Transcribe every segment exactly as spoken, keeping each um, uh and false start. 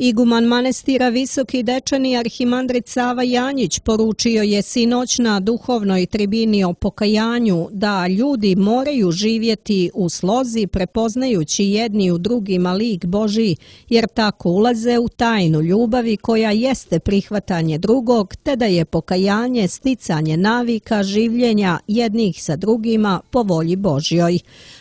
Iguman manastira Visoki Dečani arhimandrit Sava Janjić poručio je sinoć na duhovnoj tribini o pokajanju da ljudi moraju živjeti u slozi prepoznajući jedni u drugima lik Božji, jer tako ulaze u tajnu ljubavi koja jeste prihvatanje drugog, te da je pokajanje sticanje navika življenja jednih sa drugima po volji Božjoj.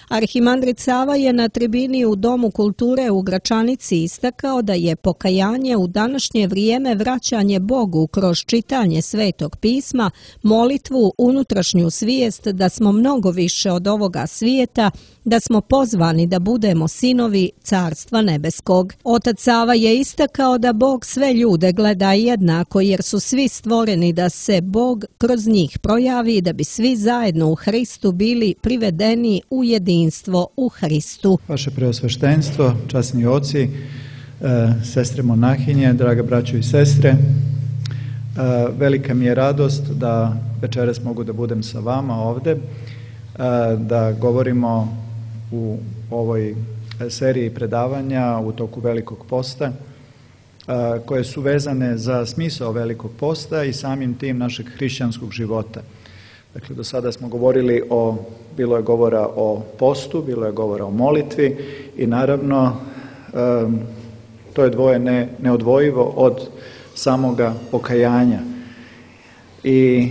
Arhimandrit Sava je na tribini u Domu kulture u Gračanici istakao da je pokajanje u današnje vrijeme vraćanje Bogu kroz čitanje Svetog pisma, molitvu, unutrašnju svijest da smo mnogo više od ovoga svijeta, da smo pozvani da budemo sinovi Carstva nebeskog. Otac Sava je istakao da Bog sve ljude gleda jednako jer su svi stvoreni da se Bog kroz njih projavi da bi svi zajedno u Hristu bili privedeni u jedinstvo u Hristu. Vaše preosveštenstvo, časni oci, sestre monahinje, draga braćo i sestre, velika mi je radost da večeras mogu da budem sa vama ovde, da govorimo u ovoj seriji predavanja u toku Velikog posta, koje su vezane za smisao Velikog posta i samim tim našeg hrišćanskog života. Dakle, do sada smo govorili o, bilo je govora o postu, bilo je govora o molitvi i naravno to je dvoje ne, neodvojivo od samoga pokajanja. I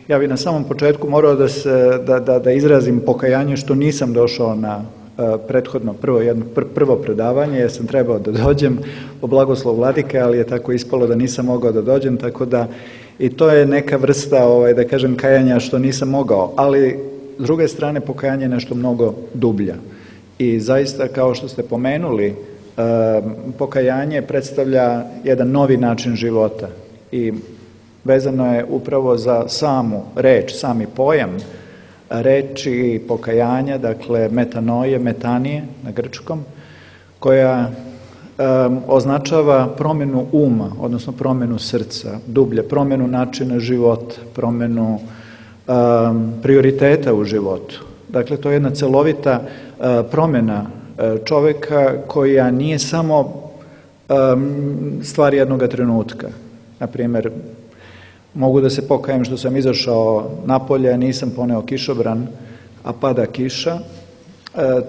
ja bih na samom početku morao da, se, da, da, da izrazim pokajanje što nisam došao na uh, prethodno prvo, jedno, pr, prvo predavanje, jer sam trebao da dođem po blagoslovu vladike, ali je tako ispalo da nisam mogao da dođem, tako da i to je neka vrsta, ovaj, da kažem, kajanja što nisam mogao, ali s druge strane pokajanje je nešto mnogo dublja. I zaista, kao što ste pomenuli, uh, pokajanje predstavlja jedan novi način života i vezano je upravo za samu reč, sami pojam reči pokajanja, dakle metanoje, metanije na grčkom, koja um, označava promjenu uma, odnosno promjenu srca, dublje, promjenu načina života, promjenu um, prioriteta u životu. Dakle, to je jedna celovita uh, promjena uh, čovjeka koja nije samo um, stvar jednoga trenutka. Na primjer, mogu da se pokajem što sam izašao napolje, nisam poneo kišobran, a pada kiša. E,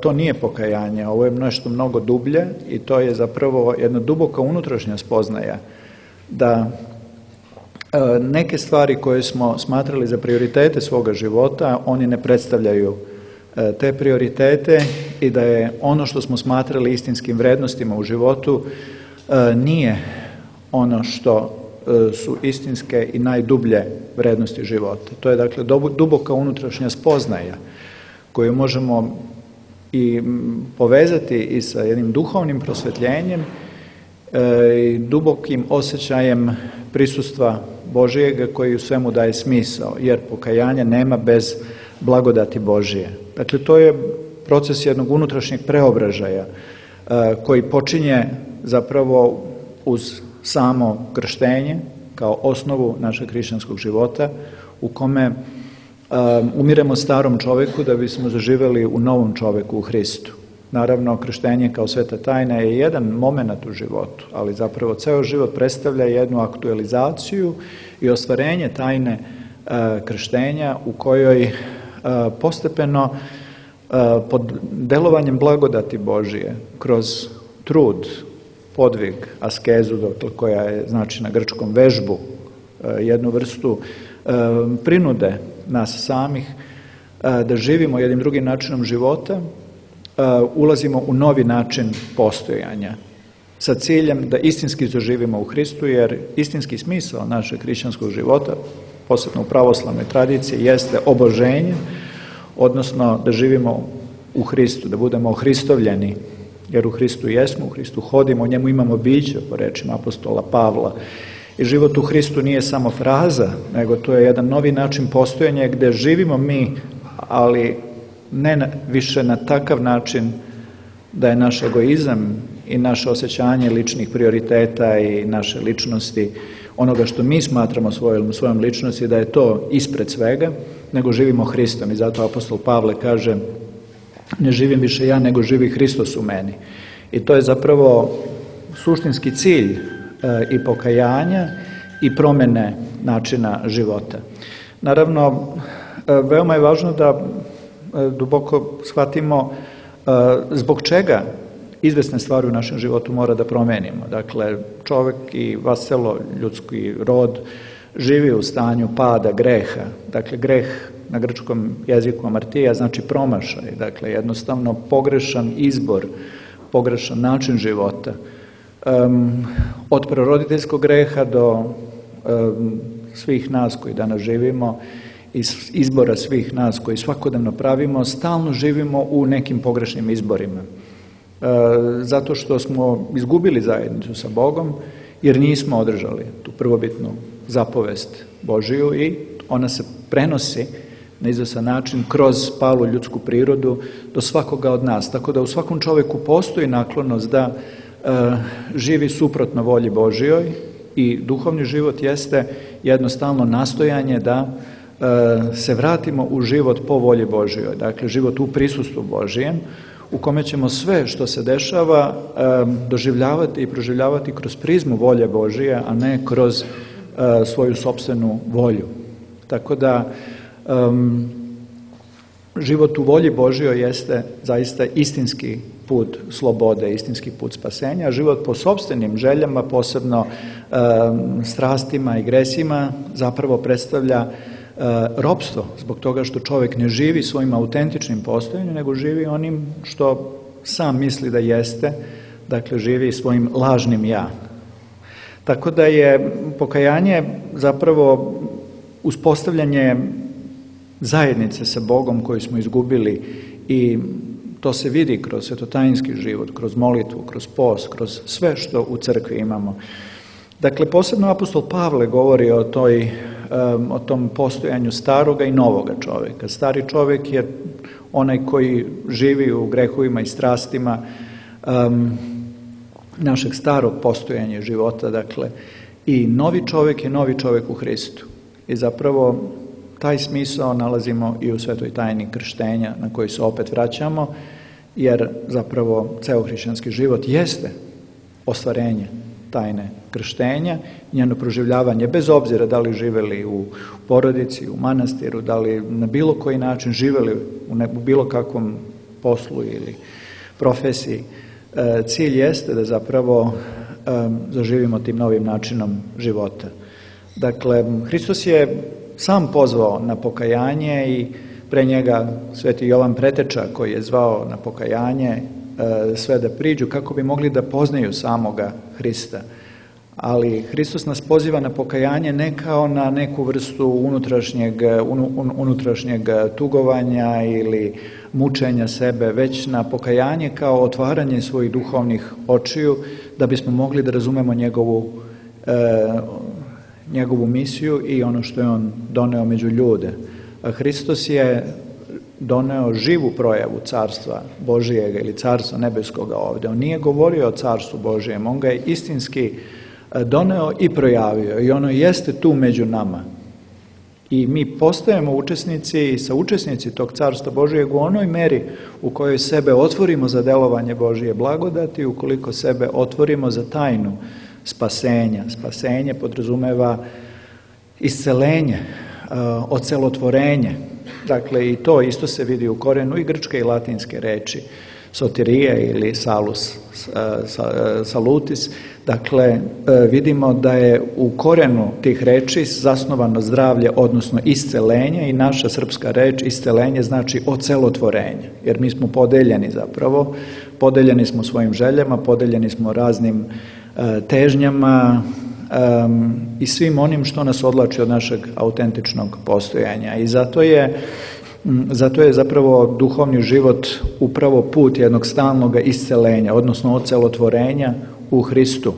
to nije pokajanje, ovo je nešto mnogo dublje i to je zapravo jedna duboka unutrašnja spoznaja da e, neke stvari koje smo smatrali za prioritete svoga života, oni ne predstavljaju e, te prioritete i da je ono što smo smatrali istinskim vrednostima u životu e, nije ono što su istinske i najdublje vrednosti života. To je dakle duboka unutrašnja spoznaja koju možemo i povezati i sa jednim duhovnim prosvetljenjem i dubokim osjećajem prisustva Božijega koji u svemu daje smisao, jer pokajanje nema bez blagodati Božije. Dakle, to je proces jednog unutrašnjeg preobražaja koji počinje zapravo uz samo krštenje kao osnovu našeg hrišćanskog života u kome um, umiremo starom čovjeku da bismo zaživjeli u novom čovjeku u Hristu. Naravno, krštenje kao sveta tajna je jedan moment u životu, ali zapravo ceo život predstavlja jednu aktualizaciju i ostvarenje tajne uh, krštenja u kojoj uh, postepeno uh, pod delovanjem blagodati Božije kroz trud, podvig, askezu, dakle, koja je znači na grčkom vežbu, jednu vrstu prinude nas samih da živimo jednim drugim načinom života, ulazimo u novi način postojanja sa ciljem da istinski zaživimo u Hristu, jer istinski smisao našeg hrišćanskog života, posebno u pravoslavnoj tradiciji, jeste oboženje, odnosno da živimo u Hristu, da budemo ohristovljeni, jer u Hristu jesmo, u Hristu hodimo, u njemu imamo biće, po rečima apostola Pavla. I život u Hristu nije samo fraza, nego to je jedan novi način postojanja gdje živimo mi, ali ne na, više na takav način da je naš egoizam i naše osjećanje ličnih prioriteta i naše ličnosti, onoga što mi smatramo svojom, svojom ličnosti, da je to ispred svega, nego živimo Hristom. I zato apostol Pavle kaže ne živim više ja, nego živi Hristos u meni. I to je zapravo suštinski cilj e, i pokajanja i promjene načina života. Naravno, e, veoma je važno da e, duboko shvatimo e, zbog čega izvesne stvari u našem životu mora da promenimo. Dakle, čovjek i vaselo ljudski rod živi u stanju pada, greha. Dakle, greh na grčkom jeziku amartija znači promašaj. Dakle, jednostavno pogrešan izbor, pogrešan način života. Um, od proroditeljskog greha do um, svih nas koji danas živimo, iz izbora svih nas koji svakodnevno pravimo, stalno živimo u nekim pogrešnim izborima. E, zato što smo izgubili zajednicu sa Bogom, jer nismo održali tu prvobitnu zapovest Božiju i ona se prenosi na izvestan način kroz palu ljudsku prirodu do svakoga od nas. Tako da u svakom čovjeku postoji naklonost da e, živi suprotno volji Božijoj i duhovni život jeste jednostavno nastojanje da e, se vratimo u život po volji Božijoj. Dakle, život u prisustvu Božijem, u kome ćemo sve što se dešava e, doživljavati i proživljavati kroz prizmu volje Božije, a ne kroz e, svoju sopstvenu volju. Tako da Um, život u volji Božjoj jeste zaista istinski put slobode, istinski put spasenja, a život po sopstvenim željama, posebno um, strastima i gresima, zapravo predstavlja uh, ropstvo, zbog toga što čovjek ne živi svojim autentičnim postojanjem, nego živi onim što sam misli da jeste, dakle živi svojim lažnim ja. Tako da je pokajanje zapravo uspostavljanje zajednice sa Bogom koju smo izgubili i to se vidi kroz svetotajinski život, kroz molitvu, kroz post, kroz sve što u crkvi imamo. Dakle, posebno apostol Pavle govori o, toj, um, o tom postojanju staroga i novoga čovjeka. Stari čovjek je onaj koji živi u grehovima i strastima um, našeg starog postojanja života, dakle, i novi čovjek je novi čovjek u Hristu. I zapravo taj smisao nalazimo i u svetoj tajni krštenja na koji se opet vraćamo, jer zapravo ceo hrišćanski život jeste ostvarenje tajne krštenja, njeno proživljavanje bez obzira da li živeli u porodici, u manastiru, da li na bilo koji način živeli u, ne, u bilo kakvom poslu ili profesiji. E, cilj jeste da zapravo e, zaživimo tim novim načinom života. Dakle, Hristos je sam pozvao na pokajanje i pre njega sveti Jovan Preteča koji je zvao na pokajanje e, sve da priđu kako bi mogli da poznaju samoga Hrista. Ali Hristos nas poziva na pokajanje ne kao na neku vrstu unutrašnjeg, un, unutrašnjeg tugovanja ili mučenja sebe, već na pokajanje kao otvaranje svojih duhovnih očiju da bismo mogli da razumemo njegovu e, njegovu misiju i ono što je on doneo među ljude. A Hristos je doneo živu projavu carstva Božijega ili carstva nebeskoga ovdje. On nije govorio o carstvu Božijem, on ga je istinski doneo i projavio i ono jeste tu među nama. I mi postajemo učesnici i saučesnici tog carstva Božijeg u onoj meri u kojoj sebe otvorimo za delovanje Božije blagodati, ukoliko sebe otvorimo za tajnu spasenja. Spasenje podrazumeva iscelenje, ocelotvorenje. Dakle, i to isto se vidi u korenu i grčke i latinske reči. Sotirije ili salus, salutis. Dakle, vidimo da je u korenu tih reči zasnovano zdravlje, odnosno iscelenje, i naša srpska reč iscelenje znači ocelotvorenje. Jer mi smo podeljeni zapravo, podeljeni smo svojim željama, podeljeni smo raznim težnjama um, i svim onim što nas odlači od našeg autentičnog postojanja. I zato je, zato je zapravo duhovni život upravo put jednog stalnog iscelenja, odnosno ocelotvorenja u Hristu,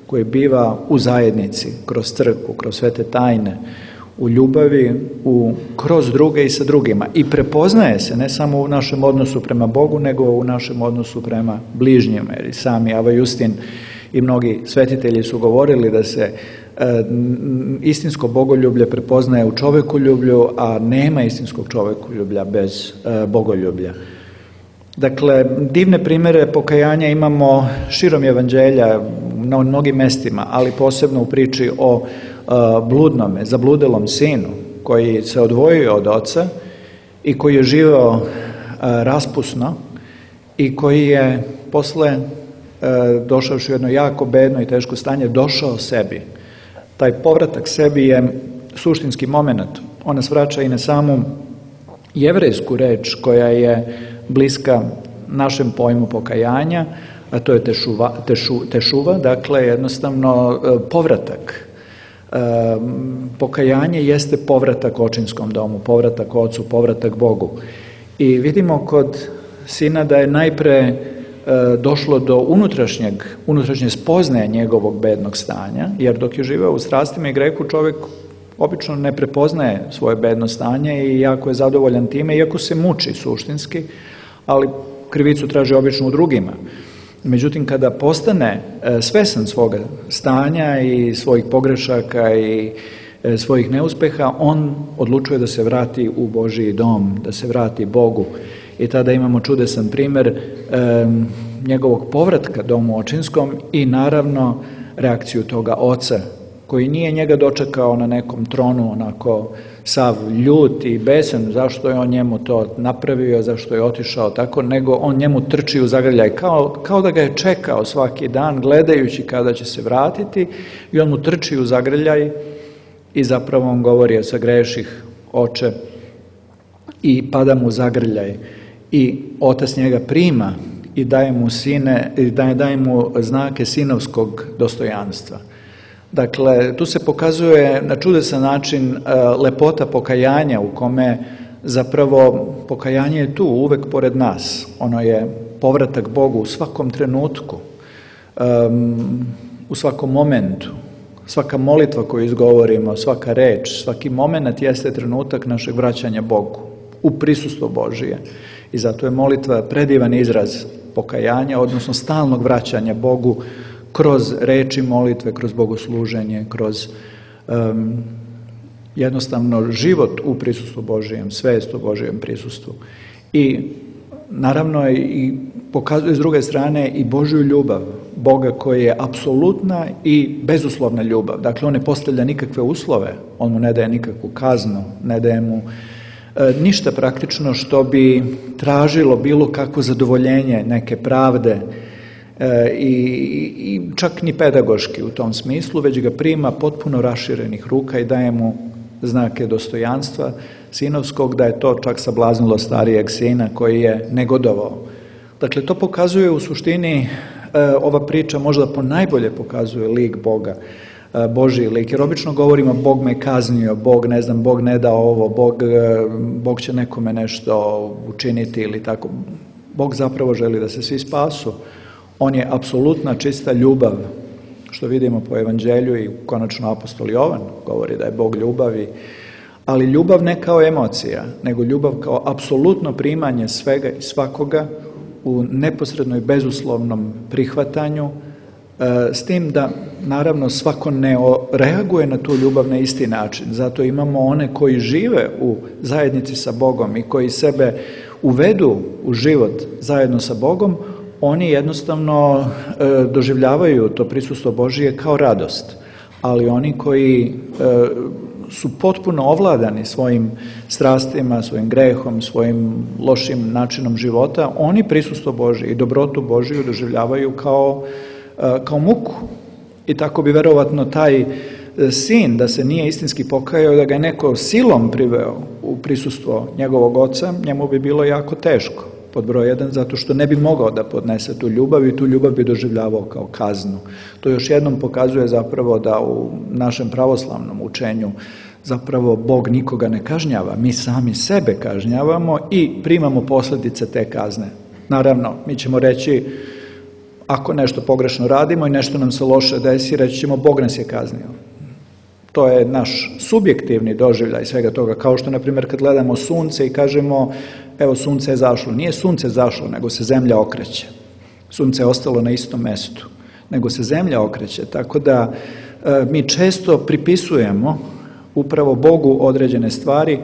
koji biva u zajednici, kroz crkvu, kroz svete tajne, u ljubavi, u, kroz druge i sa drugima. I prepoznaje se ne samo u našem odnosu prema Bogu, nego u našem odnosu prema bližnjima. Jer i sami Ava Justin i mnogi svetitelji su govorili da se e, istinsko bogoljublje prepoznaje u čovekoljublju, a nema istinskog čovekoljublja bez e, bogoljublja. Dakle, divne primjere pokajanja imamo širom evanđelja na mnogim mestima, ali posebno u priči o uh, bludnome, zabludelom sinu koji se odvojio od oca i koji je živeo uh, raspusno i koji je posle uh, došavši u jedno jako bedno i teško stanje došao sebi. Taj povratak sebi je suštinski moment. On nas vraća i na samu jevrejsku reč koja je bliska našem pojmu pokajanja, a to je tešuva, tešu, tešuva, dakle jednostavno povratak. E, pokajanje jeste povratak očinskom domu, povratak ocu, povratak Bogu. I vidimo kod sina da je najpre e, došlo do unutrašnjeg, unutrašnje spoznaje njegovog bednog stanja, jer dok je živeo u strastima i grehu čovjek obično ne prepoznaje svoje bedno stanje i jako je zadovoljan time, iako se muči suštinski, ali krivicu traži obično u drugima. Međutim, kada postane svesan svoga stanja i svojih pogrešaka i svojih neuspeha, on odlučuje da se vrati u Božji dom, da se vrati Bogu. I tada imamo čudesan primjer e, njegovog povratka domu očinskom i naravno reakciju toga oca, koji nije njega dočekao na nekom tronu onako sav ljut i besan zašto je on njemu to napravio, zašto je otišao tako, nego on njemu trči u zagrljaj, kao, kao da ga je čekao svaki dan gledajući kada će se vratiti i on mu trči u zagrljaj i zapravo on govori: sagreših, oče, i pada mu zagrljaj i otac njega prima i daje mu, sine, daje, daje mu znake sinovskog dostojanstva. Dakle, tu se pokazuje na čudesan način lepota pokajanja u kome zapravo pokajanje je tu, uvek pored nas. Ono je povratak Bogu u svakom trenutku, u svakom momentu. Svaka molitva koju izgovorimo, svaka reč, svaki moment jeste trenutak našeg vraćanja Bogu, u prisustvo Božije. I zato je molitva predivan izraz pokajanja, odnosno stalnog vraćanja Bogu, kroz reči molitve, kroz bogosluženje, kroz um, jednostavno život u prisustvu Božijem, svest u Božijem prisustvu. I naravno i pokazuje s druge strane i Božju ljubav, Boga koji je apsolutna i bezuslovna ljubav. Dakle, on ne postavlja nikakve uslove, on mu ne daje nikakvu kaznu, ne daje mu e, ništa praktično što bi tražilo bilo kakvo zadovoljenje neke pravde, I, i čak ni pedagoški u tom smislu, već ga prima potpuno raširenih ruka i daje mu znake dostojanstva sinovskog, da je to čak sablaznilo starijeg sina koji je negodovao. Dakle, to pokazuje u suštini, ova priča možda ponajbolje pokazuje lik Boga, Božji lik, jer obično govorimo Bog me kaznio, Bog ne znam, Bog ne da ovo, Bog, Bog će nekome nešto učiniti ili tako. Bog zapravo želi da se svi spasu. On je apsolutna čista ljubav, što vidimo po evanđelju i konačno apostol Jovan govori da je Bog ljubavi, ali ljubav ne kao emocija, nego ljubav kao apsolutno primanje svega i svakoga u neposredno i bezuslovnom prihvatanju, s tim da naravno svako ne reaguje na tu ljubav na isti način. Zato imamo one koji žive u zajednici sa Bogom i koji sebe uvedu u život zajedno sa Bogom, oni jednostavno e, doživljavaju to prisustvo Božije kao radost, ali oni koji e, su potpuno ovladani svojim strastima, svojim grehom, svojim lošim načinom života, oni prisustvo Božije i dobrotu Božiju doživljavaju kao, e, kao muku. I tako bi verovatno taj sin, da se nije istinski pokajao, da ga je neko silom priveo u prisustvo njegovog oca, njemu bi bilo jako teško. Pod broj jedan, zato što ne bi mogao da podnese tu ljubav i tu ljubav bi doživljavao kao kaznu. To još jednom pokazuje zapravo da u našem pravoslavnom učenju zapravo Bog nikoga ne kažnjava, mi sami sebe kažnjavamo i primamo posljedice te kazne. Naravno, mi ćemo reći, ako nešto pogrešno radimo i nešto nam se loše desi, reći ćemo Bog nas je kaznio. To je naš subjektivni doživljaj svega toga, kao što, na primjer, kad gledamo sunce i kažemo, evo, sunce je zašlo. Nije sunce zašlo, nego se zemlja okreće. Sunce je ostalo na istom mestu, nego se zemlja okreće. Tako da e, mi često pripisujemo upravo Bogu određene stvari e,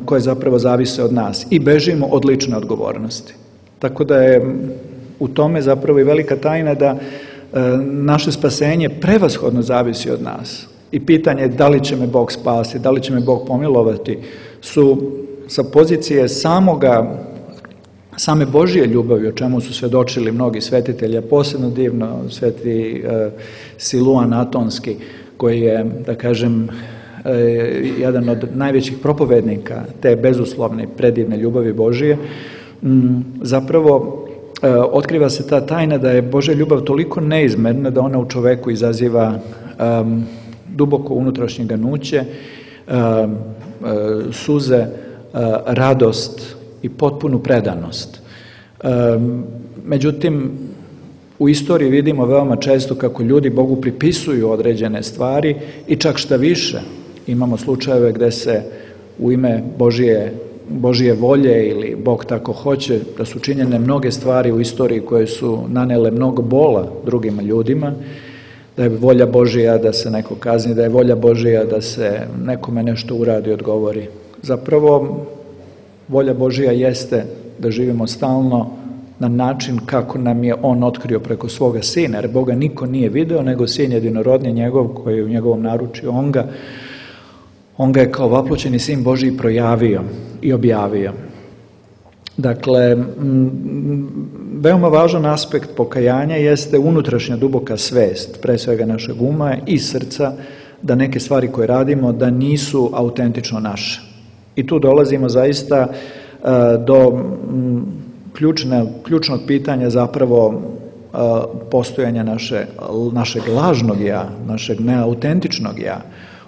koje zapravo zavise od nas i bežimo od lične odgovornosti. Tako da je u tome zapravo i velika tajna da naše spasenje prevashodno zavisi od nas. I pitanje da li će me Bog spasiti, da li će me Bog pomilovati, su sa pozicije samoga, same Božje ljubavi, o čemu su svjedočili mnogi svetitelji, a posebno divno sveti e, Siluan Atonski, koji je, da kažem, e, jedan od najvećih propovednika te bezuslovne predivne ljubavi Božje, m, zapravo e, otkriva se ta tajna da je Božja ljubav toliko neizmerna da ona u čoveku izaziva um, duboko unutrašnje ganuće, uh, uh, suze, uh, radost i potpunu predanost. Um, međutim, u istoriji vidimo veoma često kako ljudi Bogu pripisuju određene stvari i čak šta više. Imamo slučajeve gde se u ime Božije, Božije volje ili Bog tako hoće da su činjene mnoge stvari u istoriji koje su nanele mnogo bola drugim ljudima, da je volja Božija da se neko kazni, da je volja Božija da se nekome nešto uradi i odgovori. Zapravo, volja Božija jeste da živimo stalno na način kako nam je On otkrio preko svoga Sina, jer Boga niko nije video, nego Sin jedinorodni njegov koji je u njegovom naručju, On ga, on ga je kao vaploćeni Sin Božiji projavio i objavio. Dakle, veoma važan aspekt pokajanja jeste unutrašnja duboka svest, pre svega našeg uma i srca, da neke stvari koje radimo da nisu autentično naše. I tu dolazimo zaista uh, do um, ključne, ključnog pitanja zapravo uh, postojanja naše, našeg lažnog ja, našeg neautentičnog ja,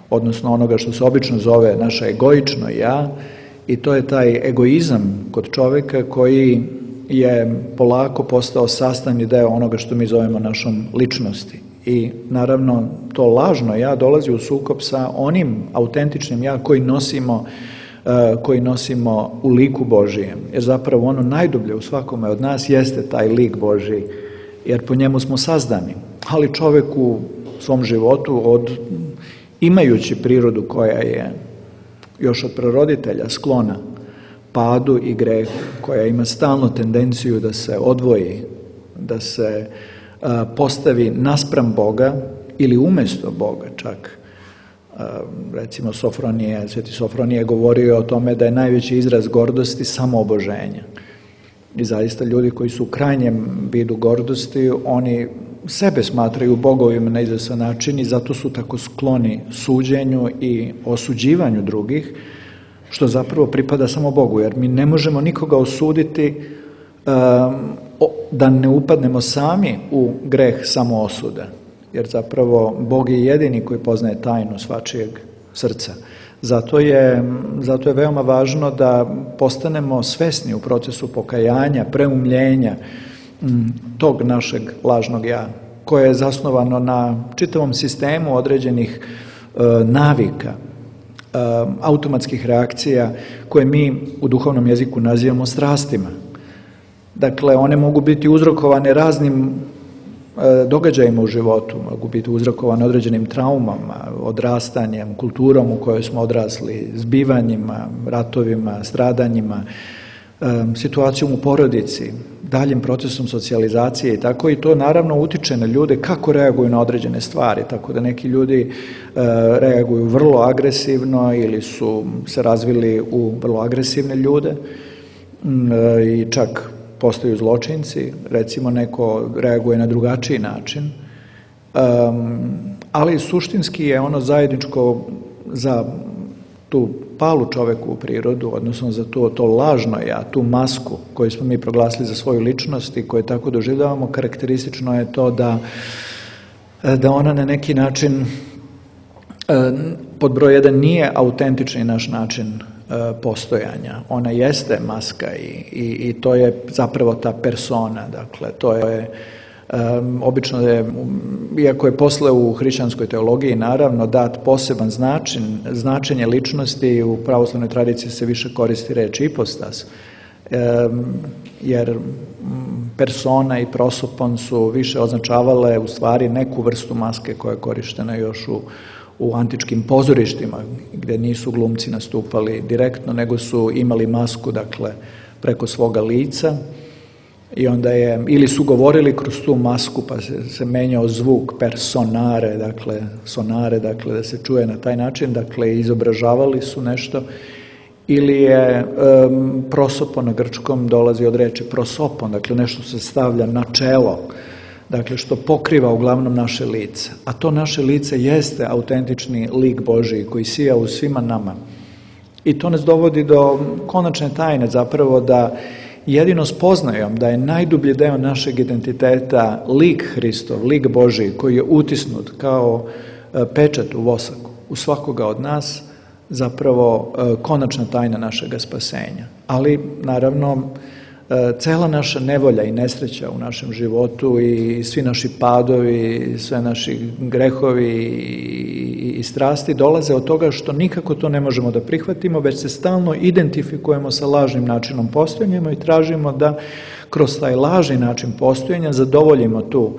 odnosno onoga što se obično zove naše egoično ja, i to je taj egoizam kod čovjeka koji je polako postao sastavni deo onoga što mi zovemo našom ličnosti. I naravno to lažno ja dolazi u sukob sa onim autentičnim ja koji nosimo, uh, koji nosimo u liku Božijem. Jer zapravo ono najdublje u svakome od nas jeste taj lik Božji, jer po njemu smo sazdani. Ali čovjek u svom životu, od, imajući prirodu koja je još od praroditelja sklona padu i grehu, koja ima stalno tendenciju da se odvoji, da se a, postavi naspram Boga ili umjesto Boga čak. A, recimo Sofronije, sveti Sofronije govorio o tome da je najveći izraz gordosti samooboženje. I zaista ljudi koji su u krajnjem vidu gordosti, oni sebe smatraju bogovima na izvestan način i zato su tako skloni suđenju i osuđivanju drugih, što zapravo pripada samo Bogu, jer mi ne možemo nikoga osuditi um, da ne upadnemo sami u greh samoosude, jer zapravo Bog je jedini koji poznaje tajnu svačijeg srca. Zato je, zato je veoma važno da postanemo svesni u procesu pokajanja, preumljenja tog našeg lažnog ja, koje je zasnovano na čitavom sistemu određenih e, navika, e, automatskih reakcija koje mi u duhovnom jeziku nazivamo strastima. Dakle, one mogu biti uzrokovane raznim e, događajima u životu, mogu biti uzrokovane određenim traumama, odrastanjem, kulturom u kojoj smo odrasli, zbivanjima, ratovima, stradanjima, situacijom u porodici, daljim procesom socijalizacije i tako, i to naravno utiče na ljude kako reaguju na određene stvari, tako da neki ljudi e, reaguju vrlo agresivno ili su se razvili u vrlo agresivne ljude e, i čak postaju zločinci, recimo neko reaguje na drugačiji način, e, ali suštinski je ono zajedničko za tu palu čoveku u prirodu, odnosno za to, to lažno ja, tu masku koju smo mi proglasili za svoju ličnost i koju tako doživljavamo, karakteristično je to da, da ona na neki način pod broj jedan nije autentični naš način postojanja. Ona jeste maska i, i, i to je zapravo ta persona, dakle to je Um, obično je, iako je posle u hrišćanskoj teologiji naravno dat poseban značin, značenje ličnosti, u pravoslavnoj tradiciji se više koristi reč ipostas, um, jer persona i prosopon su više označavale u stvari neku vrstu maske koja je korištena još u, u antičkim pozorištima, gdje nisu glumci nastupali direktno, nego su imali masku, dakle, preko svoga lica. I onda je, ili su govorili kroz tu masku, pa se, se menjao zvuk personare, dakle, sonare, dakle, da se čuje na taj način, dakle, izobražavali su nešto, ili je um, prosopo na grčkom dolazi od reči prosopon, dakle, nešto se stavlja na čelo, dakle, što pokriva uglavnom naše lice. A to naše lice jeste autentični lik Božiji koji sija u svima nama. I to nas dovodi do konačne tajne, zapravo da jedino spoznajom da je najdublji deo našeg identiteta lik Hristov, lik Božiji koji je utisnut kao pečat u vosaku u svakoga od nas, zapravo konačna tajna našega spasenja. Ali naravno cela naša nevolja i nesreća u našem životu i svi naši padovi, sve naši grehovi i strasti dolaze od toga što nikako to ne možemo da prihvatimo, već se stalno identifikujemo sa lažnim načinom postojanja i tražimo da kroz taj lažni način postojanja zadovoljimo tu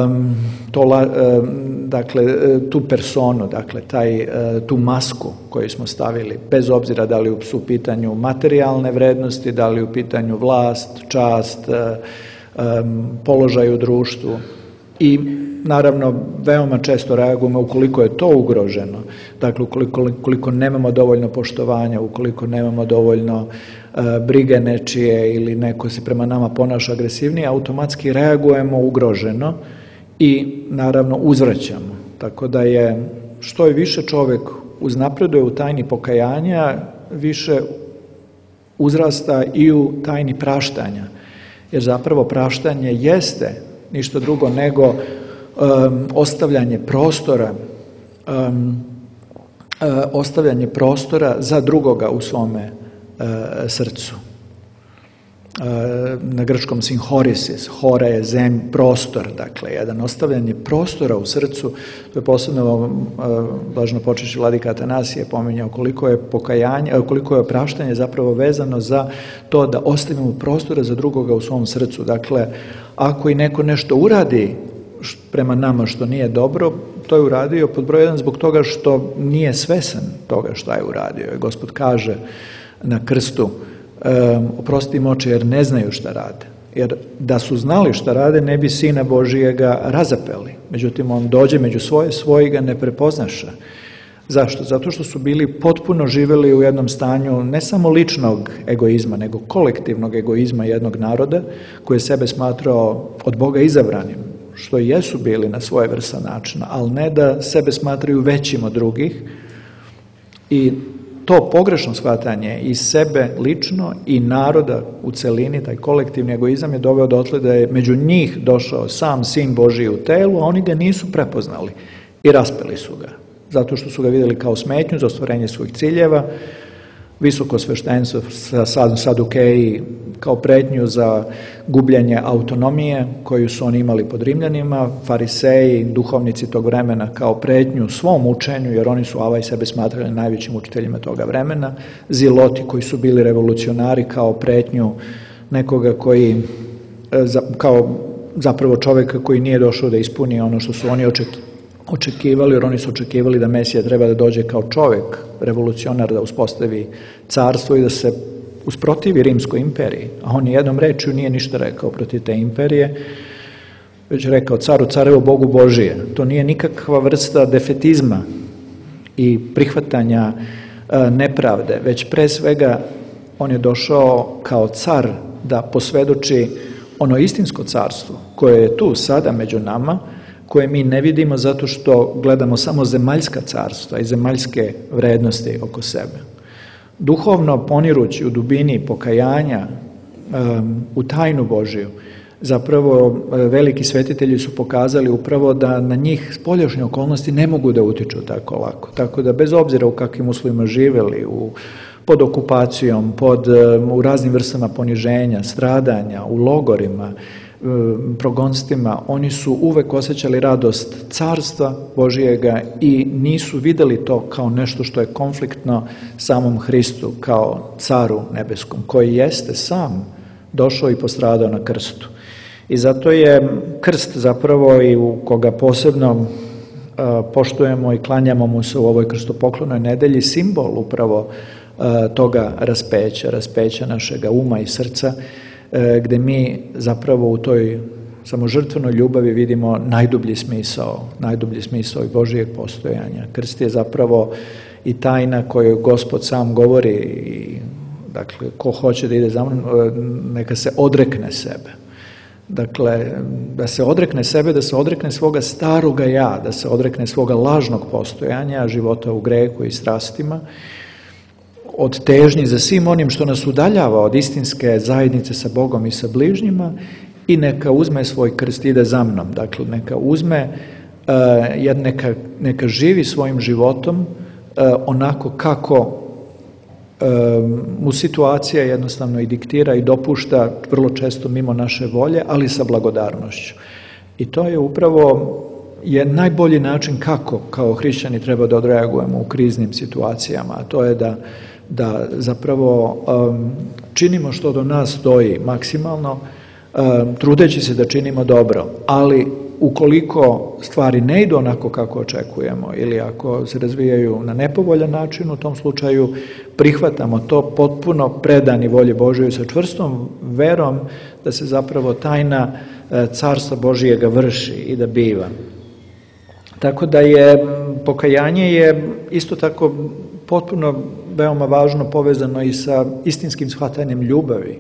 Um, to, um, dakle, tu personu, dakle, taj, tu masku koju smo stavili, bez obzira da li su u pitanju materijalne vrednosti, da li u pitanju vlast, čast, um, položaj u društvu. I naravno veoma često reagujemo ukoliko je to ugroženo, dakle ukoliko, ukoliko nemamo dovoljno poštovanja, ukoliko nemamo dovoljno uh, brige nečije ili neko se prema nama ponaša agresivnije, automatski reagujemo ugroženo i naravno uzvraćamo. Tako da je što je više čovjek uznapreduje u tajni pokajanja, više uzrasta i u tajni praštanja, jer zapravo praštanje jeste ništa drugo nego um, ostavljanje prostora um, uh, ostavljanje prostora za drugoga u svome uh, srcu. Uh, na grčkom sinhorisis, hora je zem, prostor, dakle, jedan ostavljanje prostora u srcu. To je posebno uh, blažno počešći vladika Atanasije pominjao koliko je pokajanje, koliko je praštanje zapravo vezano za to da ostavimo prostora za drugoga u svom srcu. Dakle, ako i neko nešto uradi prema nama što nije dobro, to je uradio pod broj jedan zbog toga što nije svesan toga šta je uradio. I Gospod kaže na krstu, um, oprosti im oči jer ne znaju šta rade. Jer da su znali šta rade, ne bi Sina Božijega razapeli. Međutim, on dođe među svoje, svoji ga ne prepoznaša. Zašto? Zato što su bili potpuno živjeli u jednom stanju ne samo ličnog egoizma, nego kolektivnog egoizma jednog naroda koji je sebe smatrao od Boga izabranim, što i jesu bili na svoje vrsta načina, ali ne da sebe smatraju većim od drugih. I to pogrešno shvatanje i sebe lično i naroda u celini, taj kolektivni egoizam je doveo dotle da je među njih došao sam Sin Božiji u telu, a oni ga nisu prepoznali i raspeli su ga. Zato što su ga vidjeli kao smetnju za ostvarenje svojih ciljeva, visoko sveštenstvo, sadukeji kao pretnju za gubljenje autonomije koju su oni imali pod Rimljanima, fariseji, duhovnici tog vremena kao pretnju svom učenju, jer oni su avaj sebe smatrali najvećim učiteljima toga vremena, ziloti koji su bili revolucionari kao pretnju nekoga koji, kao zapravo čovjeka koji nije došao da ispuni ono što su oni očekivali. očekivali, jer oni su očekivali da Mesija treba da dođe kao čovjek, revolucionar, da uspostavi carstvo i da se usprotivi Rimskoj imperiji. A on jednom rečju nije ništa rekao protiv te imperije, već rekao caru carevo Bogu Božije. To nije nikakva vrsta defetizma i prihvatanja e, nepravde, već pre svega on je došao kao car da posvedoči ono istinsko carstvo koje je tu sada među nama, koje mi ne vidimo zato što gledamo samo zemaljska carstva i zemaljske vrednosti oko sebe. Duhovno ponirući u dubini pokajanja um, u tajnu Božiju, zapravo veliki svetitelji su pokazali upravo da na njih spoljašnje okolnosti ne mogu da utiču tako lako. Tako da bez obzira u kakvim uslovima živjeli, u, pod okupacijom, pod, um, u raznim vrstama poniženja, stradanja, u logorima, progonstvima, oni su uvek osjećali radost carstva Božijega i nisu vidjeli to kao nešto što je konfliktno samom Hristu, kao caru nebeskom, koji jeste sam došao i postradao na krstu. I zato je krst zapravo i u koga posebno uh, poštujemo i klanjamo mu se u ovoj krstopoklonoj nedelji simbol upravo uh, toga raspeća, raspeća našega uma i srca, gdje mi zapravo u toj samožrtvenoj ljubavi vidimo najdublji smisao, najdublji smisao i Božijeg postojanja. Krst je zapravo i tajna koju Gospod sam govori, i, dakle, ko hoće da ide za mnom, neka se odrekne sebe. Dakle, da se odrekne sebe, da se odrekne svoga staroga ja, da se odrekne svoga lažnog postojanja, života u grehu i strastima, od težnji za svim onim što nas udaljava od istinske zajednice sa Bogom i sa bližnjima, i neka uzme svoj krst i ide za mnom. Dakle, neka uzme, uh, neka, neka živi svojim životom uh, onako kako uh, mu situacija jednostavno i diktira i dopušta, vrlo često mimo naše volje, ali sa blagodarnošću. I to je upravo je najbolji način kako kao hrišćani treba da odreagujemo u kriznim situacijama, a to je da, da zapravo um, činimo što do nas stoji maksimalno, trudeći se da činimo dobro, ali ukoliko stvari ne idu onako kako očekujemo ili ako se razvijaju na nepovoljan način, u tom slučaju prihvatamo to potpuno predani volji Božoj sa čvrstom verom da se zapravo tajna carstva Božijega vrši i da biva. Tako da je pokajanje je isto tako potpuno veoma važno povezano i sa istinskim shvatanjem ljubavi.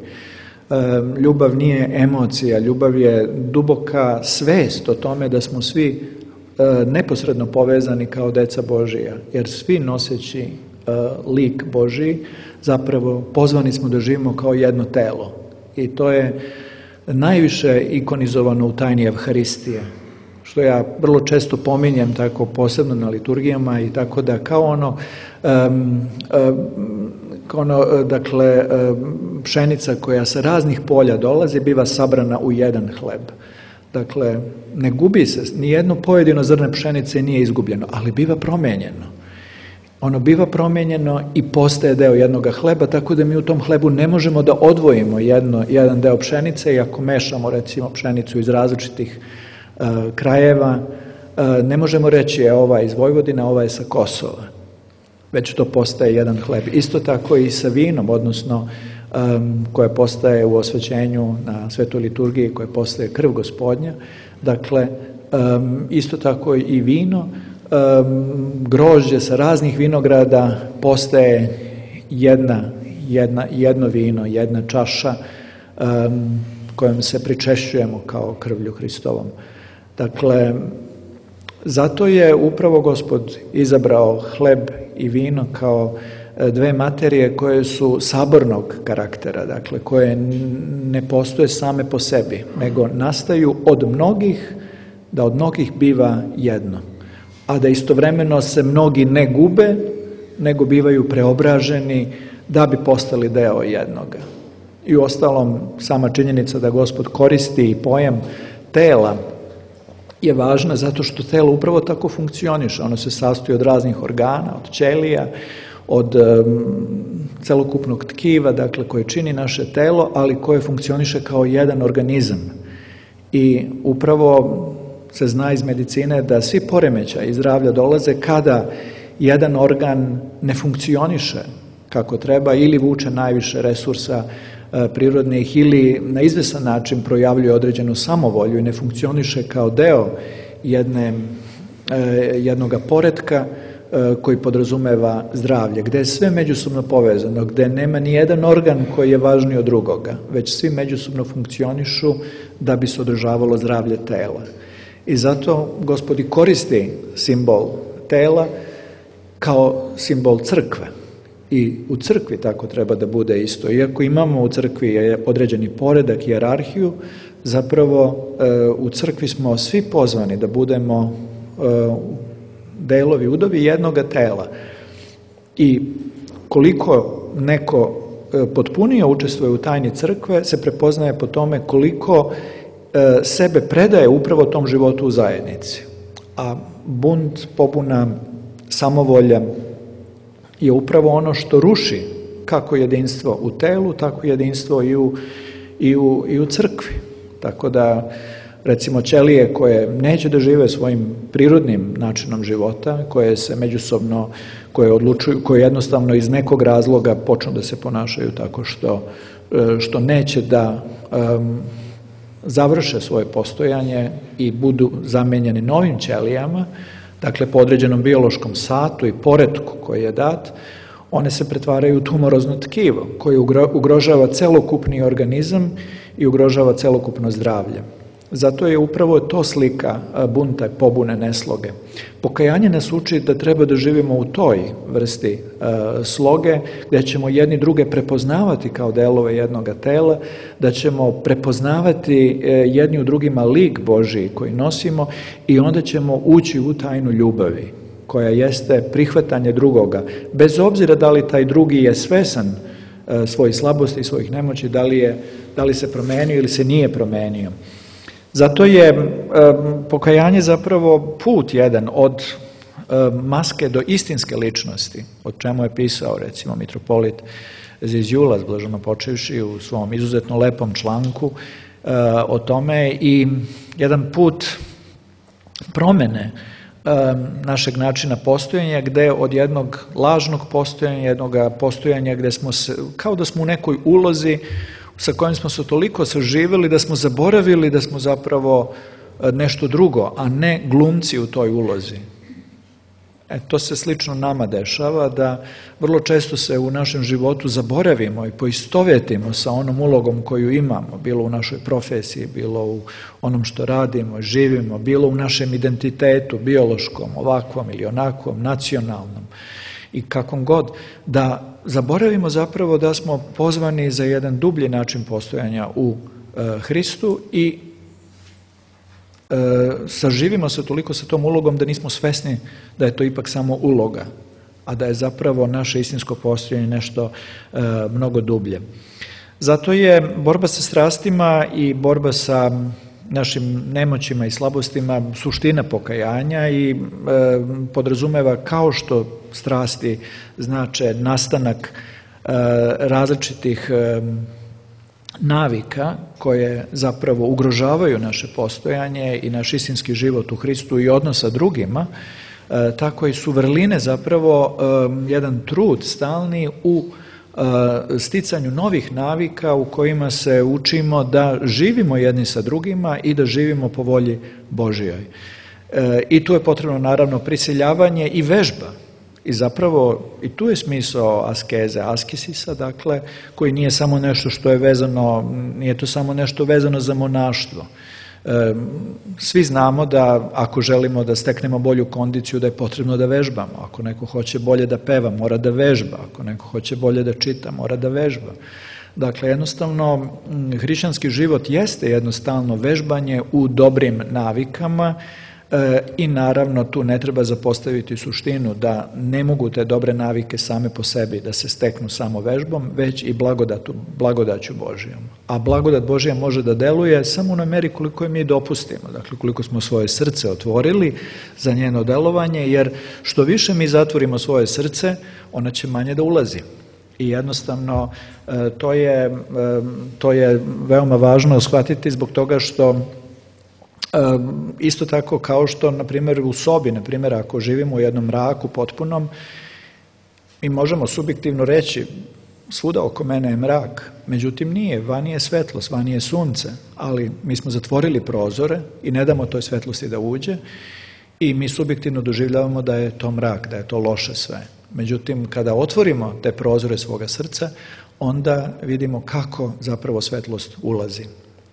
Ljubav nije emocija, ljubav je duboka svest o tome da smo svi neposredno povezani kao deca Božija, jer svi noseći lik Božiji zapravo pozvani smo da živimo kao jedno telo. I to je najviše ikonizovano u tajni Evharistije, što ja vrlo često pominjem tako posebno na liturgijama, i tako da kao ono, um, um, kao ono dakle, um, pšenica koja sa raznih polja dolazi biva sabrana u jedan hleb. Dakle, ne gubi se, nijedno pojedino zrno pšenice nije izgubljeno, ali biva promijenjeno. Ono biva promijenjeno i postaje deo jednoga hleba, tako da mi u tom hlebu ne možemo da odvojimo jedno, jedan deo pšenice, i ako mešamo recimo pšenicu iz različitih uh, krajeva, uh, ne možemo reći je ova iz Vojvodine, ova je sa Kosova, već to postaje jedan hleb. Isto tako i sa vinom, odnosno um, koja postaje u osvećenju na svetoj liturgiji, koja postaje krv Gospodnja. Dakle, um, isto tako i vino, um, grožđe sa raznih vinograda postaje jedna, jedna, jedno vino, jedna čaša um, kojom se pričešćujemo kao krvlju Hristovom. Dakle, zato je upravo Gospod izabrao hleb i vino kao dve materije koje su sabornog karaktera, dakle koje ne postoje same po sebi, nego nastaju od mnogih, da od mnogih biva jedno, a da istovremeno se mnogi ne gube, nego bivaju preobraženi da bi postali deo jednoga. I uostalom, sama činjenica da Gospod koristi i pojam tela je važna zato što telo upravo tako funkcioniše. Ono se sastoji od raznih organa, od ćelija, od um, celokupnog tkiva, dakle, koje čini naše telo, ali koje funkcioniše kao jedan organizam. I upravo se zna iz medicine da svi poremećaji zdravlja dolaze kada jedan organ ne funkcioniše kako treba ili vuče najviše resursa e, prirodnih ili na izvesan način projavljuje određenu samovolju i ne funkcioniše kao deo jedne, e, jednoga poretka e, koji podrazumeva zdravlje, gde je sve međusobno povezano, gde nema ni jedan organ koji je važniji od drugoga, već svi međusobno funkcionišu da bi se održavalo zdravlje tela. I zato Gospod i koristi simbol tela kao simbol crkve. I u crkvi tako treba da bude isto. Iako imamo u crkvi određeni poredak, hijerarhiju, zapravo u crkvi smo svi pozvani da budemo delovi, udovi jednoga tela. I koliko neko potpunije učestvuje u tajni crkve, se prepoznaje po tome koliko sebe predaje upravo tom životu u zajednici. A bunt, pobuna, samovolja je upravo ono što ruši kako jedinstvo u telu, tako jedinstvo i u, i u, i u crkvi. Tako da, recimo, ćelije koje neće da žive svojim prirodnim načinom života, koje se međusobno, koje odlučuju, koje jednostavno iz nekog razloga počnu da se ponašaju tako što što neće da um, završe svoje postojanje i budu zamenjeni novim ćelijama, dakle po određenom biološkom satu i poretku koji je dat, one se pretvaraju u tumorozno tkivo koje ugrožava celokupni organizam i ugrožava celokupno zdravlje. Zato je upravo to slika bunta, pobune, nesloge. Pokajanje nas uči da treba da živimo u toj vrsti e, sloge, gdje ćemo jedni druge prepoznavati kao delove jednoga tela, da ćemo prepoznavati e, jedni u drugima lik Božiji koji nosimo i onda ćemo ući u tajnu ljubavi, koja jeste prihvatanje drugoga. Bez obzira da li taj drugi je svesan e, svojih slabosti i svojih nemoći, da li, je, da li se promenio ili se nije promenio. Zato je e, pokajanje zapravo put jedan od e, maske do istinske ličnosti, o čemu je pisao recimo mitropolit Zizjulas, blaženo počevši, u svom izuzetno lepom članku e, o tome, i jedan put promene e, našeg načina postojanja, gde od jednog lažnog postojanja, jednog postojanja gde smo se, kao da smo u nekoj ulozi sa kojim smo se toliko saživjeli da smo zaboravili da smo zapravo nešto drugo, a ne glumci u toj ulozi. E, to se slično nama dešava, da vrlo često se u našem životu zaboravimo i poistovetimo sa onom ulogom koju imamo, bilo u našoj profesiji, bilo u onom što radimo, živimo, bilo u našem identitetu, biološkom, ovakvom ili onakvom, nacionalnom i kakvom god, da zaboravimo zapravo da smo pozvani za jedan dublji način postojanja u e, Hristu i e, saživimo se toliko sa tom ulogom da nismo svesni da je to ipak samo uloga, a da je zapravo naše istinsko postojanje nešto e, mnogo dublje. Zato je borba sa strastima i borba sa našim nemoćima i slabostima suština pokajanja i e, podrazumeva, kao što strasti znače nastanak e, različitih e, navika koje zapravo ugrožavaju naše postojanje i naš istinski život u Hristu i odnos sa drugima, e, tako i su vrline zapravo e, jedan trud stalni u sticanju novih navika u kojima se učimo da živimo jedni sa drugima i da živimo po volji Božijoj. E, I tu je potrebno naravno prisiljavanje i vežba. I zapravo i tu je smisao askeze, askesisa, dakle, koji nije samo nešto što je vezano, nije to samo nešto vezano za monaštvo. E, svi znamo da ako želimo da steknemo bolju kondiciju, da je potrebno da vežbamo. Ako neko hoće bolje da peva, mora da vežba. Ako neko hoće bolje da čita, mora da vežba. Dakle, jednostavno, hrišćanski život jeste jednostavno vežbanje u dobrim navikama e, i naravno tu ne treba zapostaviti suštinu da ne mogu te dobre navike same po sebi da se steknu samo vežbom, već i blagodatu, blagodaću Božijom. A blagodat Božija može da deluje samo u meri koliko je mi dopustimo, dakle koliko smo svoje srce otvorili za njeno delovanje, jer što više mi zatvorimo svoje srce, ona će manje da ulazi. I jednostavno to je, to je veoma važno shvatiti zbog toga što isto tako kao što, na primjer, u sobi, na primjer, ako živimo u jednom mraku potpunom, mi možemo subjektivno reći svuda oko mene je mrak, međutim nije, vani je svetlost, vani je sunce, ali mi smo zatvorili prozore i ne damo toj svetlosti da uđe i mi subjektivno doživljavamo da je to mrak, da je to loše sve. Međutim, kada otvorimo te prozore svoga srca, onda vidimo kako zapravo svetlost ulazi.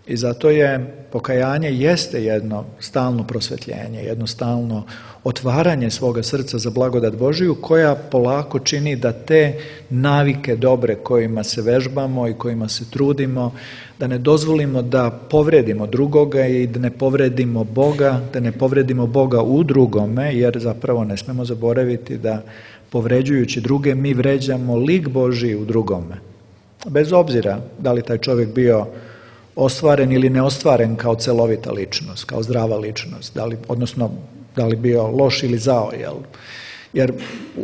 I zato je pokajanje jeste jedno stalno prosvetljenje, jedno stalno otvaranje svoga srca za blagodat Božiju, koja polako čini da te navike dobre kojima se vežbamo i kojima se trudimo, da ne dozvolimo da povredimo drugoga i da ne povredimo Boga, da ne povredimo Boga u drugome, jer zapravo ne smemo zaboraviti da povređujući druge mi vređamo lik Božiji u drugome. Bez obzira da li taj čovjek bio ostvaren ili neostvaren kao celovita ličnost, kao zdrava ličnost, da li, odnosno da li bio loš ili zao, jel? Jer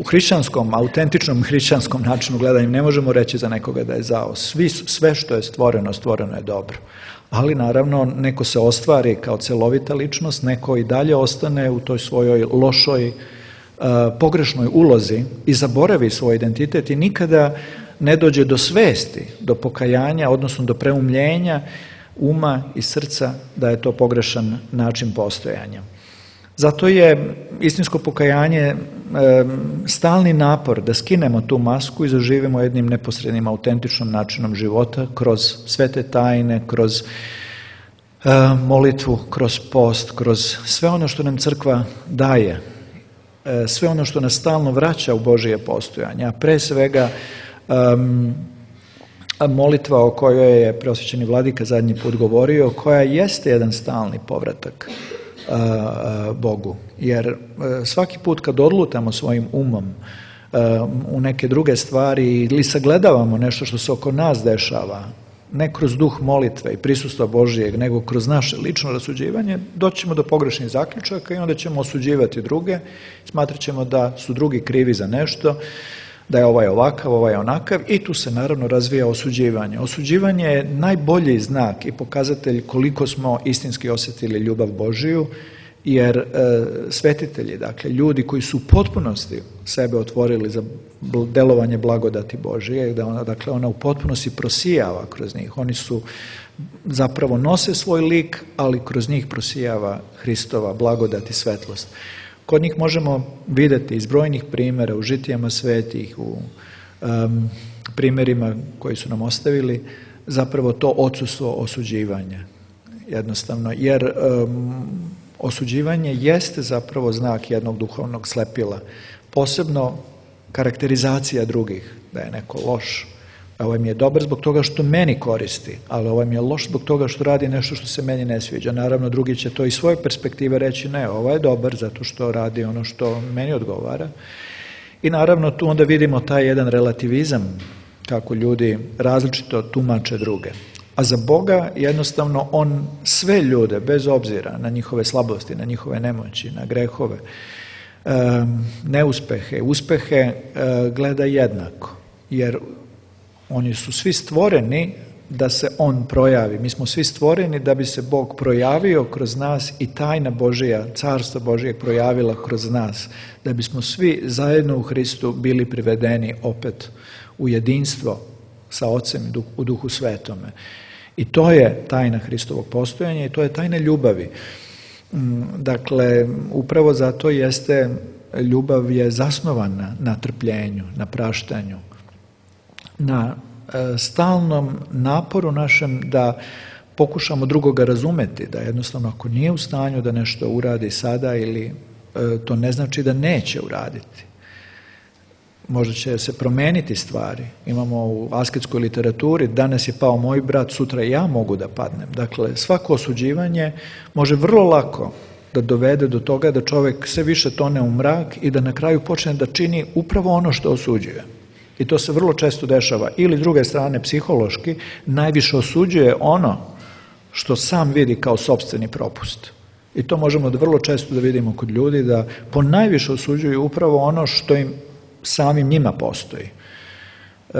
u hrišćanskom, autentičnom hrišćanskom načinu gledanja ne možemo reći za nekoga da je zao. Svi, sve što je stvoreno, stvoreno je dobro. Ali naravno neko se ostvari kao celovita ličnost, neko i dalje ostane u toj svojoj lošoj, uh, pogrešnoj ulozi i zaboravi svoj identitet i nikada ne dođe do svesti, do pokajanja, odnosno do preumljenja uma i srca da je to pogrešan način postojanja. Zato je istinsko pokajanje e, stalni napor da skinemo tu masku i zaživimo jednim neposrednim, autentičnim načinom života kroz sve te tajne, kroz e, molitvu, kroz post, kroz sve ono što nam crkva daje, e, sve ono što nas stalno vraća u Božije postojanje, a pre svega um, molitva o kojoj je preosvećeni vladika zadnji put govorio, koja jeste jedan stalni povratak Bogu. Jer svaki put kad odlutamo svojim umom u neke druge stvari ili sagledavamo nešto što se oko nas dešava, ne kroz duh molitve i prisustva Božijeg, nego kroz naše lično rasuđivanje, doći ćemo do pogrešnih zaključaka i onda ćemo osuđivati druge, smatrat ćemo da su drugi krivi za nešto, da je ovaj ovakav, ovaj onakav, i tu se naravno razvija osuđivanje. Osuđivanje je najbolji znak i pokazatelj koliko smo istinski osjetili ljubav Božiju, jer e, svetitelji, dakle ljudi koji su u potpunosti sebe otvorili za delovanje blagodati Božije, da ona, dakle ona u potpunosti prosijava kroz njih, oni su zapravo nose svoj lik, ali kroz njih prosijava Hristova blagodat i svetlost. Kod njih možemo vidjeti iz brojnih primjera u žitijama svetih, u um, primjerima koji su nam ostavili, zapravo to odsustvo osuđivanja. Jednostavno, jer um, osuđivanje jeste zapravo znak jednog duhovnog slepila. Posebno karakterizacija drugih, da je neko loš. Ovaj mi je dobar zbog toga što meni koristi, ali ovaj mi je loš zbog toga što radi nešto što se meni ne sviđa. Naravno, drugi će to iz svoje perspektive reći, ne, ovaj je dobar zato što radi ono što meni odgovara. I naravno, tu onda vidimo taj jedan relativizam, kako ljudi različito tumače druge. A za Boga jednostavno on sve ljude, bez obzira na njihove slabosti, na njihove nemoći, na grehove, neuspehe, uspehe, gleda jednako. Jer oni su svi stvoreni da se on projavi. Mi smo svi stvoreni da bi se Bog projavio kroz nas i tajna Božija, carstva Božijeg projavila kroz nas. Da bismo svi zajedno u Hristu bili privedeni opet u jedinstvo sa Ocem u Duhu Svetome. I to je tajna Hristovog postojanja i to je tajna ljubavi. Dakle, upravo zato jeste, ljubav je zasnovana na trpljenju, na praštanju, na e, stalnom naporu našem da pokušamo drugoga razumeti, da jednostavno ako nije u stanju da nešto uradi sada ili e, to ne znači da neće uraditi. Možda će se promeniti stvari. Imamo u asketskoj literaturi, danas je pao moj brat, sutra ja mogu da padnem. Dakle, svako osuđivanje može vrlo lako da dovede do toga da čovjek sve više tone u mrak i da na kraju počne da čini upravo ono što osuđuje. I to se vrlo često dešava. Ili s druge strane, psihološki, najviše osuđuje ono što sam vidi kao sopstveni propust. I to možemo da vrlo često da vidimo kod ljudi, da po najviše osuđuju upravo ono što im samim njima postoji. E,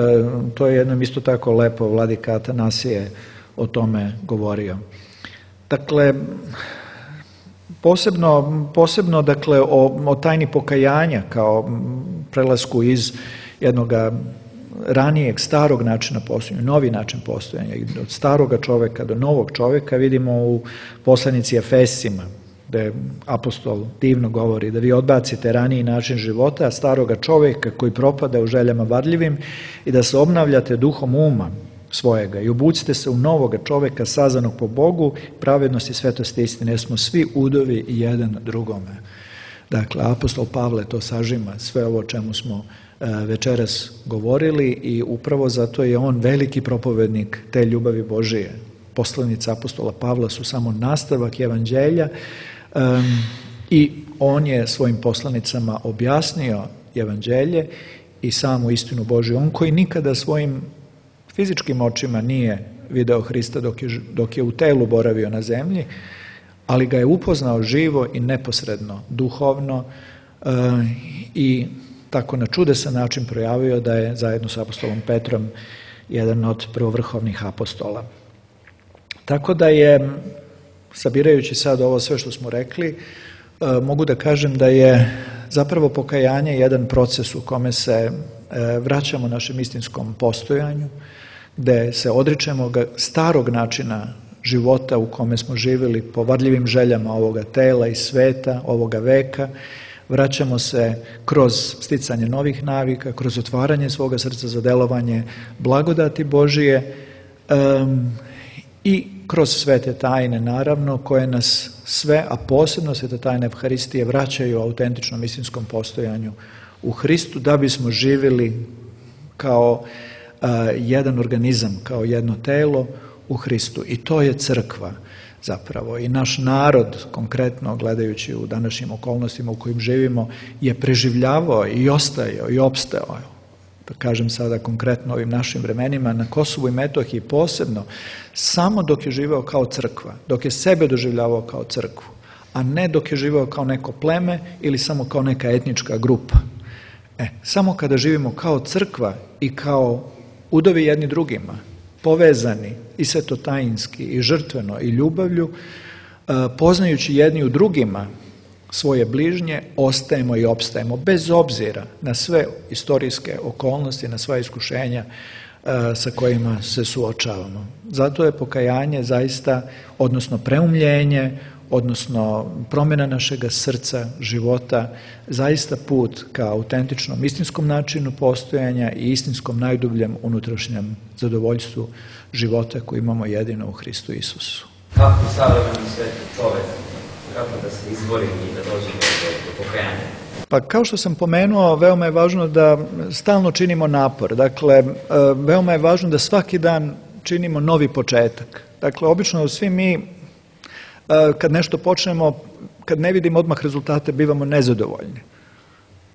to je jednom isto tako lepo vladika Atanasije o tome govorio. Dakle, posebno, posebno dakle, o, o tajni pokajanja kao prelasku iz jednog ranijeg, starog načina postojanja, novi način postojanja, od staroga čovjeka do novog čovjeka, vidimo u poslanici Efesima, gdje apostol divno govori da vi odbacite raniji način života, staroga čovjeka koji propada u željama varljivim i da se obnavljate duhom uma svojega i obucite se u novoga čovjeka sazanog po Bogu, pravednosti, svetosti, istine, jer smo svi udovi jedan drugome. Dakle, apostol Pavle to sažima, sve ovo o čemu smo večeras govorili i upravo zato je on veliki propovednik te ljubavi Božije. Poslanice apostola Pavla su samo nastavak evanđelja um, i on je svojim poslanicama objasnio evanđelje i samu istinu Božju. On koji nikada svojim fizičkim očima nije video Hrista dok je, dok je u telu boravio na zemlji, ali ga je upoznao živo i neposredno, duhovno uh, i tako na čudesan način projavio da je zajedno sa apostolom Petrom jedan od prvovrhovnih apostola. Tako da je, sabirajući sad ovo sve što smo rekli, mogu da kažem da je zapravo pokajanje jedan proces u kome se vraćamo našem istinskom postojanju, gde se odričemo starog načina života u kome smo živjeli po varljivim željama ovoga tela i sveta, ovoga veka. Vraćamo se kroz sticanje novih navika, kroz otvaranje svoga srca za delovanje blagodati Božije um, i kroz svete tajne, naravno, koje nas sve, a posebno svete tajne Evharistije, vraćaju autentičnom istinskom postojanju u Hristu, da bismo živjeli kao uh, jedan organizam, kao jedno telo u Hristu. I to je crkva zapravo. I naš narod, konkretno gledajući u današnjim okolnostima u kojim živimo, je preživljavao i ostajao i opstao, da kažem sada konkretno ovim našim vremenima, na Kosovu i Metohiji posebno, samo dok je živeo kao crkva, dok je sebe doživljavao kao crkvu, a ne dok je živeo kao neko pleme ili samo kao neka etnička grupa. E, samo kada živimo kao crkva i kao udovi jedni drugima, povezani i svetotajinski i žrtveno i ljubavlju, poznajući jedni u drugima svoje bližnje, ostajemo i opstajemo bez obzira na sve istorijske okolnosti, na sva iskušenja sa kojima se suočavamo. Zato je pokajanje zaista, odnosno preumljenje, odnosno promjena našega srca, života, zaista put ka autentičnom istinskom načinu postojanja i istinskom najdubljem unutrašnjem zadovoljstvu života koji imamo jedino u Hristu Isusu. Kako savremeni sveti čovek, kako da se izbori i da dođe do, do pokajanja? Pa kao što sam pomenuo, veoma je važno da stalno činimo napor. Dakle, veoma je važno da svaki dan činimo novi početak. Dakle, obično svi mi kad nešto počnemo, kad ne vidimo odmah rezultate, bivamo nezadovoljni.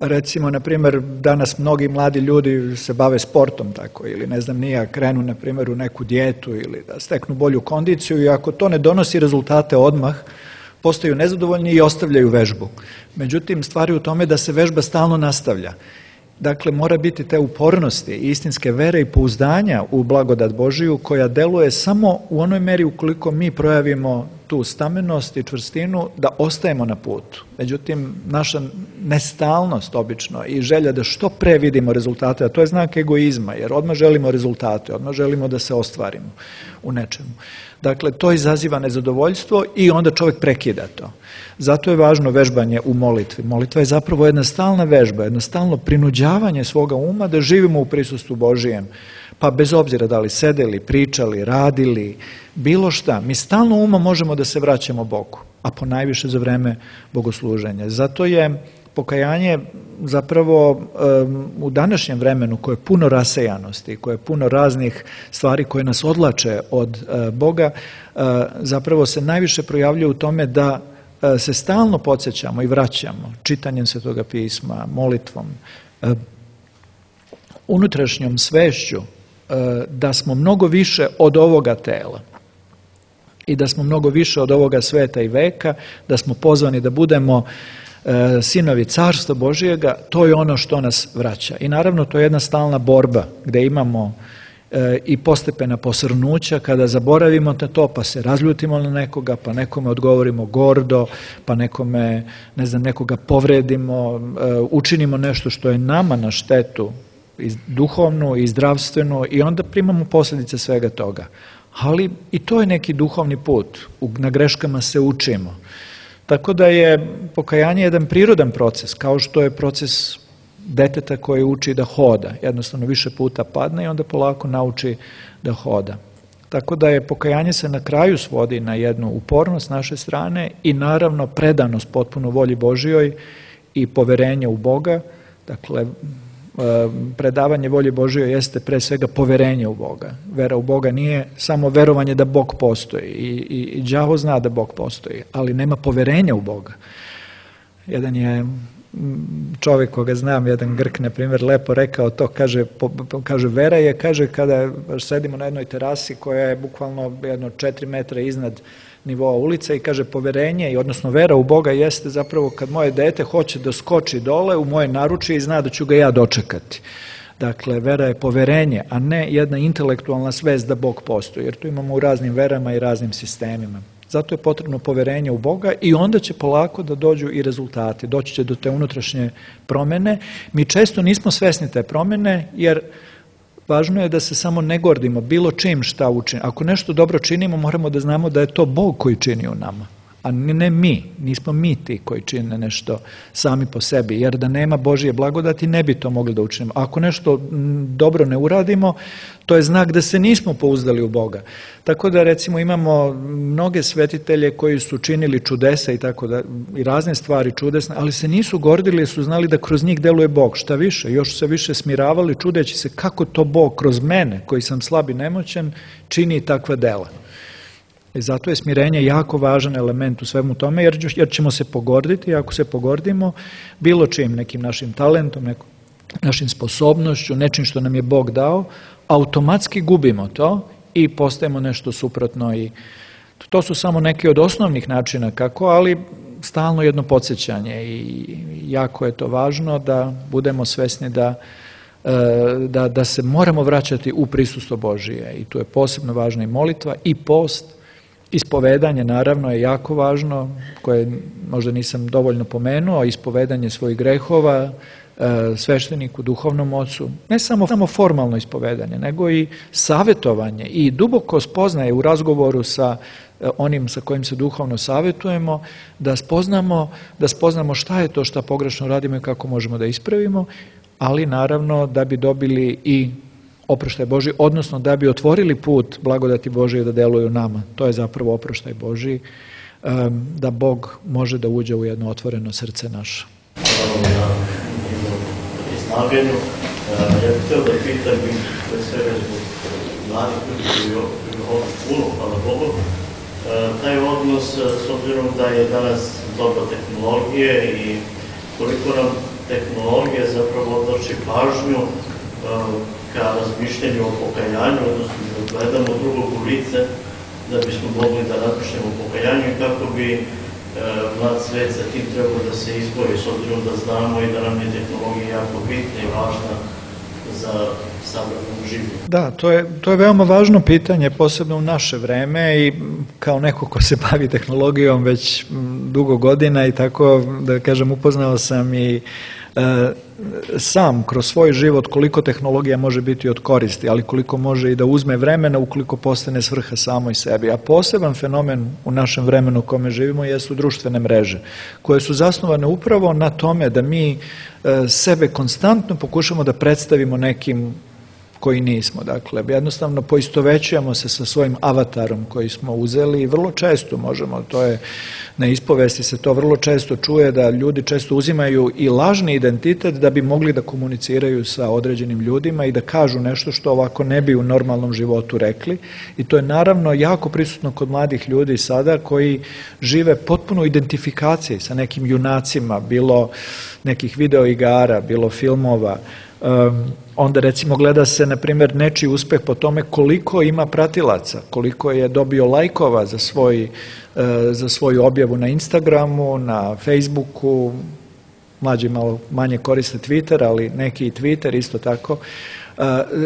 Recimo, na primjer, danas mnogi mladi ljudi se bave sportom tako, ili ne znam nija, krenu na primjer u neku dijetu ili da steknu bolju kondiciju i ako to ne donosi rezultate odmah, postaju nezadovoljni i ostavljaju vežbu. Međutim, stvar je u tome da se vežba stalno nastavlja. Dakle, mora biti te upornosti, istinske vere i pouzdanja u blagodat Božiju koja deluje samo u onoj meri ukoliko mi projavimo tu stamennost i čvrstinu da ostajemo na putu. Međutim, naša nestalnost obično i želja da što pre vidimo rezultate, a to je znak egoizma, jer odmah želimo rezultate, odmah želimo da se ostvarimo u nečemu. Dakle, to izaziva nezadovoljstvo i onda čovjek prekida to. Zato je važno vežbanje u molitvi. Molitva je zapravo jedna stalna vežba, jedno stalno prinuđavanje svoga uma da živimo u prisustvu Božijem. Pa bez obzira da li sedeli, pričali, radili, bilo šta, mi stalno umom možemo da se vraćamo Bogu, a ponajviše za vreme bogosluženja. Zato je pokajanje zapravo um, u današnjem vremenu koje je puno rasejanosti, koje je puno raznih stvari koje nas odlače od uh, Boga, uh, zapravo se najviše projavljuje u tome da uh, se stalno podsjećamo i vraćamo čitanjem Svetoga pisma, molitvom, uh, unutrašnjom svešću uh, da smo mnogo više od ovoga tela i da smo mnogo više od ovoga sveta i veka, da smo pozvani da budemo sinovi Carstva Božijega, to je ono što nas vraća. I naravno to je jedna stalna borba gdje imamo e, i postepena posrnuća kada zaboravimo na to pa se razljutimo na nekoga, pa nekome odgovorimo gordo, pa nekome, ne znam, nekoga povredimo, e, učinimo nešto što je nama na štetu i duhovnu i zdravstvenu i onda primamo posljedice svega toga. Ali i to je neki duhovni put, na greškama se učimo. Tako da je pokajanje jedan prirodan proces, kao što je proces deteta koje uči da hoda. Jednostavno više puta padne i onda polako nauči da hoda. Tako da je pokajanje se na kraju svodi na jednu upornost naše strane i naravno predanost potpuno volji Božijoj i poverenje u Boga. Dakle, predavanje volje Božijoj jeste pre svega poverenje u Boga. Vera u Boga nije samo verovanje da Bog postoji i, i, i đavo zna da Bog postoji, ali nema poverenja u Boga. Jedan je čovjek koga znam, jedan Grk, na primjer, lepo rekao to, kaže, po, kaže vera je, kaže, kada sedimo na jednoj terasi koja je bukvalno jedno četiri metra iznad nivoa ulice i kaže poverenje i odnosno vera u Boga jeste zapravo kad moje dete hoće da skoči dole u moje naručje i zna da ću ga ja dočekati. Dakle, vera je poverenje, a ne jedna intelektualna svest da Bog postoji, jer tu imamo u raznim verama i raznim sistemima. Zato je potrebno poverenje u Boga i onda će polako da dođu i rezultati, doći će do te unutrašnje promjene. Mi često nismo svesni te promjene jer važno je da se samo ne gordimo bilo čim šta učinimo. Ako nešto dobro činimo, moramo da znamo da je to Bog koji čini u nama, a ne mi, nismo mi ti koji čine nešto sami po sebi, jer da nema Božje blagodati ne bi to mogli da učinimo. Ako nešto dobro ne uradimo, to je znak da se nismo pouzdali u Boga. Tako da recimo imamo mnoge svetitelje koji su činili čudesa i tako da, i razne stvari čudesne, ali se nisu gordili jer su znali da kroz njih deluje Bog. Šta više, još su se više smiravali čudeći se kako to Bog kroz mene, koji sam slab i nemoćan, čini takva dela. I zato je smirenje jako važan element u svemu tome, jer, jer ćemo se pogorditi, ako se pogordimo bilo čim, nekim našim talentom, nekom, našim sposobnošću, nečim što nam je Bog dao, automatski gubimo to i postajemo nešto suprotno. I to su samo neki od osnovnih načina kako, ali stalno jedno podsjećanje i jako je to važno da budemo svesni da Da, da se moramo vraćati u prisustvo Božije i tu je posebno važna i molitva i post. Ispovedanje naravno je jako važno, koje možda nisam dovoljno pomenuo, ispovedanje svojih grehova svešteniku, duhovnom ocu, ne samo, samo formalno ispovedanje, nego i savjetovanje i duboko spoznaje u razgovoru sa onim sa kojim se duhovno savjetujemo, da spoznamo, da spoznamo šta je to šta pogrešno radimo i kako možemo da ispravimo, ali naravno da bi dobili i oproštaj Božji, odnosno da bi otvorili put blagodati Božije da deluju nama. To je zapravo oproštaj Božji, da Bog može da uđe u jedno otvoreno srce naše. Hvala na izlaganju. Ja bih htio da pitam i pre svega zbog mladih ljudi koji ovdje puno, hvala Bogu, taj odnos s obzirom da je danas doba tehnologije i koliko nam tehnologija zapravo odvrši pažnju ka razmišljanju o pokajanju, odnosno da gledamo drugog u lice da bismo mogli da razmišljamo o pokajanju i kako bi e, mlad svet sa tim trebao da se izbori, s obzirom da znamo i da nam je tehnologija jako bitna i važna za savremenu življenje. Da, to je, to je veoma važno pitanje, posebno u naše vreme i kao neko ko se bavi tehnologijom već dugo godina i tako, da kažem, upoznao sam i e, sam kroz svoj život koliko tehnologija može biti od koristi, ali koliko može i da uzme vremena ukoliko postane svrha samoj sebi. A poseban fenomen u našem vremenu u kome živimo jesu društvene mreže, koje su zasnovane upravo na tome da mi e, sebe konstantno pokušamo da predstavimo nekim koji nismo. Dakle, jednostavno poistovećujemo se sa svojim avatarom koji smo uzeli i vrlo često možemo, to je na ispovesti se to vrlo često čuje, da ljudi često uzimaju i lažni identitet da bi mogli da komuniciraju sa određenim ljudima i da kažu nešto što ovako ne bi u normalnom životu rekli. I to je naravno jako prisutno kod mladih ljudi sada koji žive potpuno identifikaciji sa nekim junacima, bilo nekih videoigara, bilo filmova. Um, onda recimo gleda se na primjer nečiji uspeh po tome koliko ima pratilaca, koliko je dobio lajkova za, svoj, uh, za svoju objavu na Instagramu, na Facebooku, mlađi malo manje koriste Twitter, ali neki i Twitter isto tako. Uh,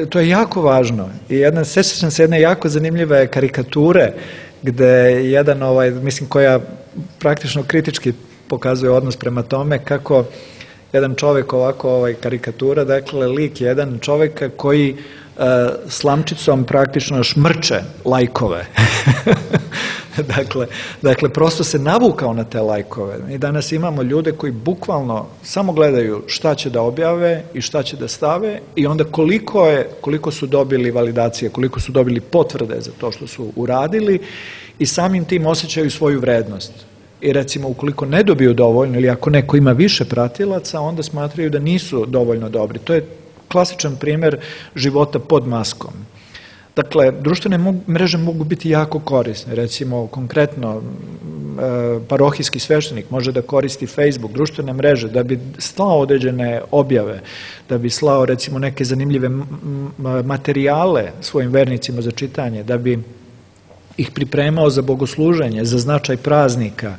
to je jako važno i jedna, sjećam se jedne jako zanimljive karikature gde jedan, ovaj, mislim koja praktično kritički pokazuje odnos prema tome kako jedan čovjek ovako, ovaj, karikatura, dakle lik jedan čovjeka koji uh, slamčicom praktično šmrče lajkove. dakle, dakle, prosto se navukao na te lajkove. I danas imamo ljude koji bukvalno samo gledaju šta će da objave i šta će da stave i onda koliko, je, koliko su dobili validacije, koliko su dobili potvrde za to što su uradili i samim tim osjećaju svoju vrednost. I recimo ukoliko ne dobiju dovoljno ili ako neko ima više pratilaca, onda smatraju da nisu dovoljno dobri. To je klasičan primjer života pod maskom. Dakle, društvene mreže mogu biti jako korisne. Recimo, konkretno, parohijski sveštenik može da koristi Facebook, društvene mreže, da bi slao određene objave, da bi slao recimo neke zanimljive materijale svojim vernicima za čitanje, da bi ih pripremao za bogosluženje, za značaj praznika.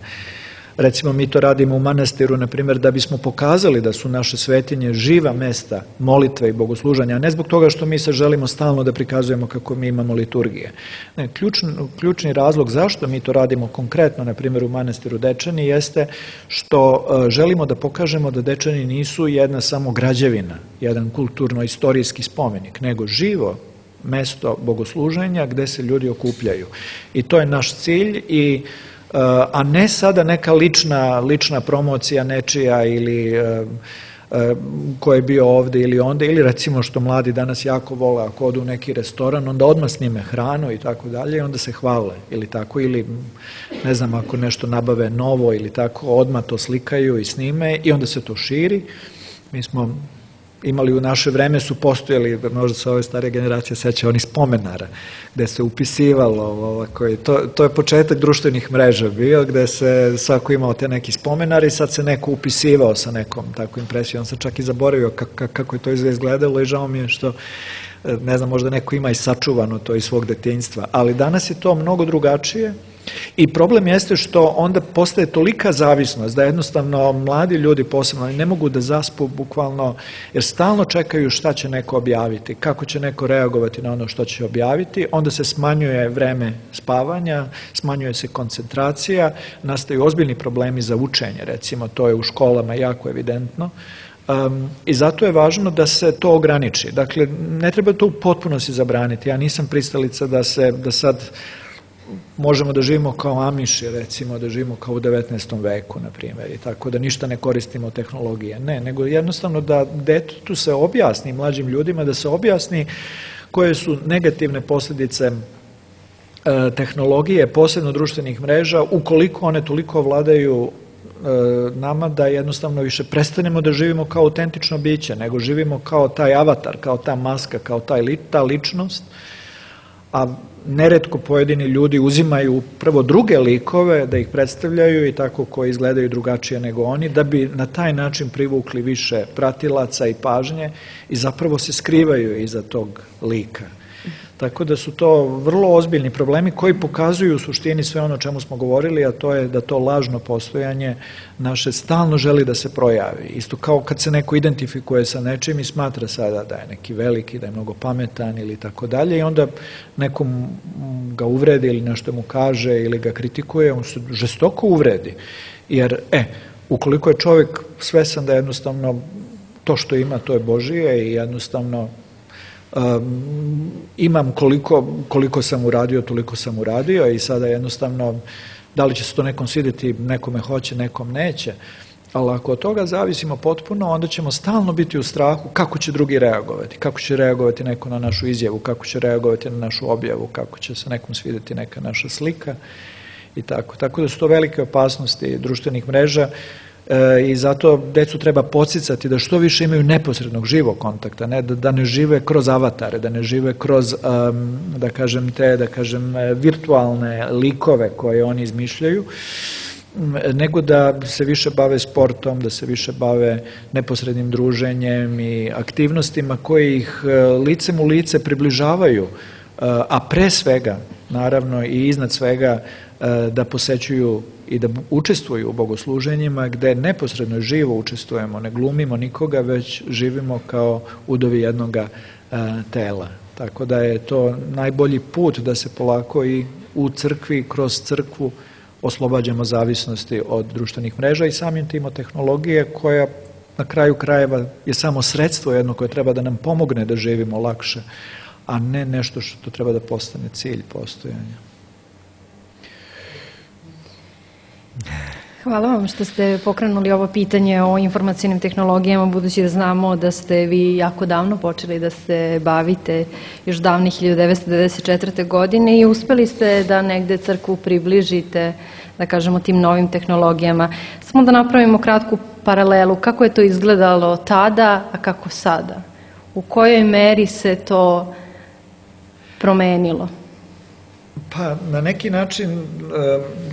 Recimo mi to radimo u manastiru, na primjer, da bismo pokazali da su naše svetinje živa mesta molitve i bogosluženja, a ne zbog toga što mi se želimo stalno da prikazujemo kako mi imamo liturgije. Ne, ključni, ključni razlog zašto mi to radimo konkretno, na primjer u manastiru Dečani, jeste što uh, želimo da pokažemo da Dečani nisu jedna samo građevina, jedan kulturno-istorijski spomenik, nego živo mesto bogosluženja gde se ljudi okupljaju. I to je naš cilj, i a ne sada neka lična, lična promocija nečija ili ko je bio ovde ili onda, ili recimo što mladi danas jako vole, ako odu u neki restoran, onda odmah snime hranu i tako dalje i onda se hvale ili tako, ili ne znam, ako nešto nabave novo ili tako, odmah to slikaju i snime i onda se to širi. Mi smo imali u naše vreme, su postojali, možda se ove starije generacije seća onih spomenara, gde se upisivalo, ovako, to, to je početak društvenih mreža bio, gde se svako imao te neki spomenari i sad se neko upisivao sa nekom takvom impresijom. On se čak i zaboravio kako, kako je to izgledalo i žao mi je što, ne znam, možda neko ima i sačuvano to iz svog detinjstva, ali danas je to mnogo drugačije. I problem jeste što onda postaje tolika zavisnost da jednostavno mladi ljudi posebno ne mogu da zaspu bukvalno, jer stalno čekaju šta će neko objaviti, kako će neko reagovati na ono što će objaviti, onda se smanjuje vreme spavanja, smanjuje se koncentracija, nastaju ozbiljni problemi za učenje, recimo, to je u školama jako evidentno. Um, I zato je važno da se to ograniči. Dakle, ne treba to u potpunosti zabraniti. Ja nisam pristalica da se, da sad možemo da živimo kao Amiši, recimo, da živimo kao u devetnaestom veku, na primjer, i tako da ništa ne koristimo tehnologije. Ne, nego jednostavno da detetu se objasni, mlađim ljudima da se objasni koje su negativne posljedice e, tehnologije, posebno društvenih mreža, ukoliko one toliko vladaju e, nama da jednostavno više prestanemo da živimo kao autentično biće, nego živimo kao taj avatar, kao ta maska, kao taj, ta ličnost, a neretko pojedini ljudi uzimaju prvo druge likove da ih predstavljaju i tako koji izgledaju drugačije nego oni, da bi na taj način privukli više pratilaca i pažnje i zapravo se skrivaju iza tog lika. Tako da su to vrlo ozbiljni problemi koji pokazuju u suštini sve ono o čemu smo govorili, a to je da to lažno postojanje naše stalno želi da se projavi. Isto kao kad se neko identifikuje sa nečim i smatra sada da je neki veliki, da je mnogo pametan ili tako dalje i onda nekom ga uvredi ili nešto mu kaže ili ga kritikuje, on se žestoko uvredi. Jer, e, ukoliko je čovjek svesan da jednostavno to što ima, to je Božije i jednostavno Um, imam koliko, koliko sam uradio, toliko sam uradio i sada jednostavno da li će se to nekom svidjeti, nekome hoće, nekom neće, ali ako od toga zavisimo potpuno, onda ćemo stalno biti u strahu kako će drugi reagovati, kako će reagovati neko na našu izjavu, kako će reagovati na našu objavu, kako će se nekom svidjeti neka naša slika i tako. Tako da su to velike opasnosti društvenih mreža. I zato decu treba podsticati da što više imaju neposrednog živog kontakta, ne, da, da ne žive kroz avatare, da ne žive kroz, um, da kažem, te, da kažem, virtualne likove koje oni izmišljaju, nego da se više bave sportom, da se više bave neposrednim druženjem i aktivnostima koje ih licem u lice približavaju, a pre svega, naravno i iznad svega, da posećuju i da učestvuju u bogosluženjima gde neposredno živo učestvujemo, ne glumimo nikoga, već živimo kao udovi jednoga tela. Tako da je to najbolji put da se polako i u crkvi, kroz crkvu oslobađamo zavisnosti od društvenih mreža i samim tim od tehnologije koja na kraju krajeva je samo sredstvo jedno koje treba da nam pomogne da živimo lakše, a ne nešto što treba da postane cilj postojanja. Hvala vam što ste pokrenuli ovo pitanje o informacijnim tehnologijama, budući da znamo da ste vi jako davno počeli da se bavite, još davne hiljadu devetsto devedeset četvrte. godine i uspeli ste da negde crkvu približite, da kažemo, tim novim tehnologijama. Samo da napravimo kratku paralelu, kako je to izgledalo tada, a kako sada? U kojoj meri se to promenilo? Pa, na neki način,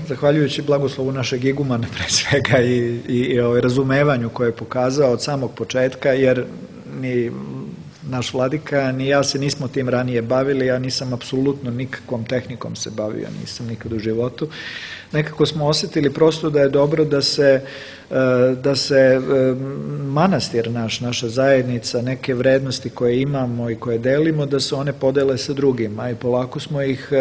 zahvaljujući blagoslovu našeg igumana pre svega i, i, i ovaj razumevanju koje je pokazao od samog početka, jer ni naš vladika, ni ja se nismo tim ranije bavili, ja nisam apsolutno nikakvom tehnikom se bavio, nisam nikad u životu. Nekako smo osjetili prosto da je dobro da se, da se manastir naš, naša zajednica, neke vrednosti koje imamo i koje delimo, da se one podele sa drugima i polako smo ih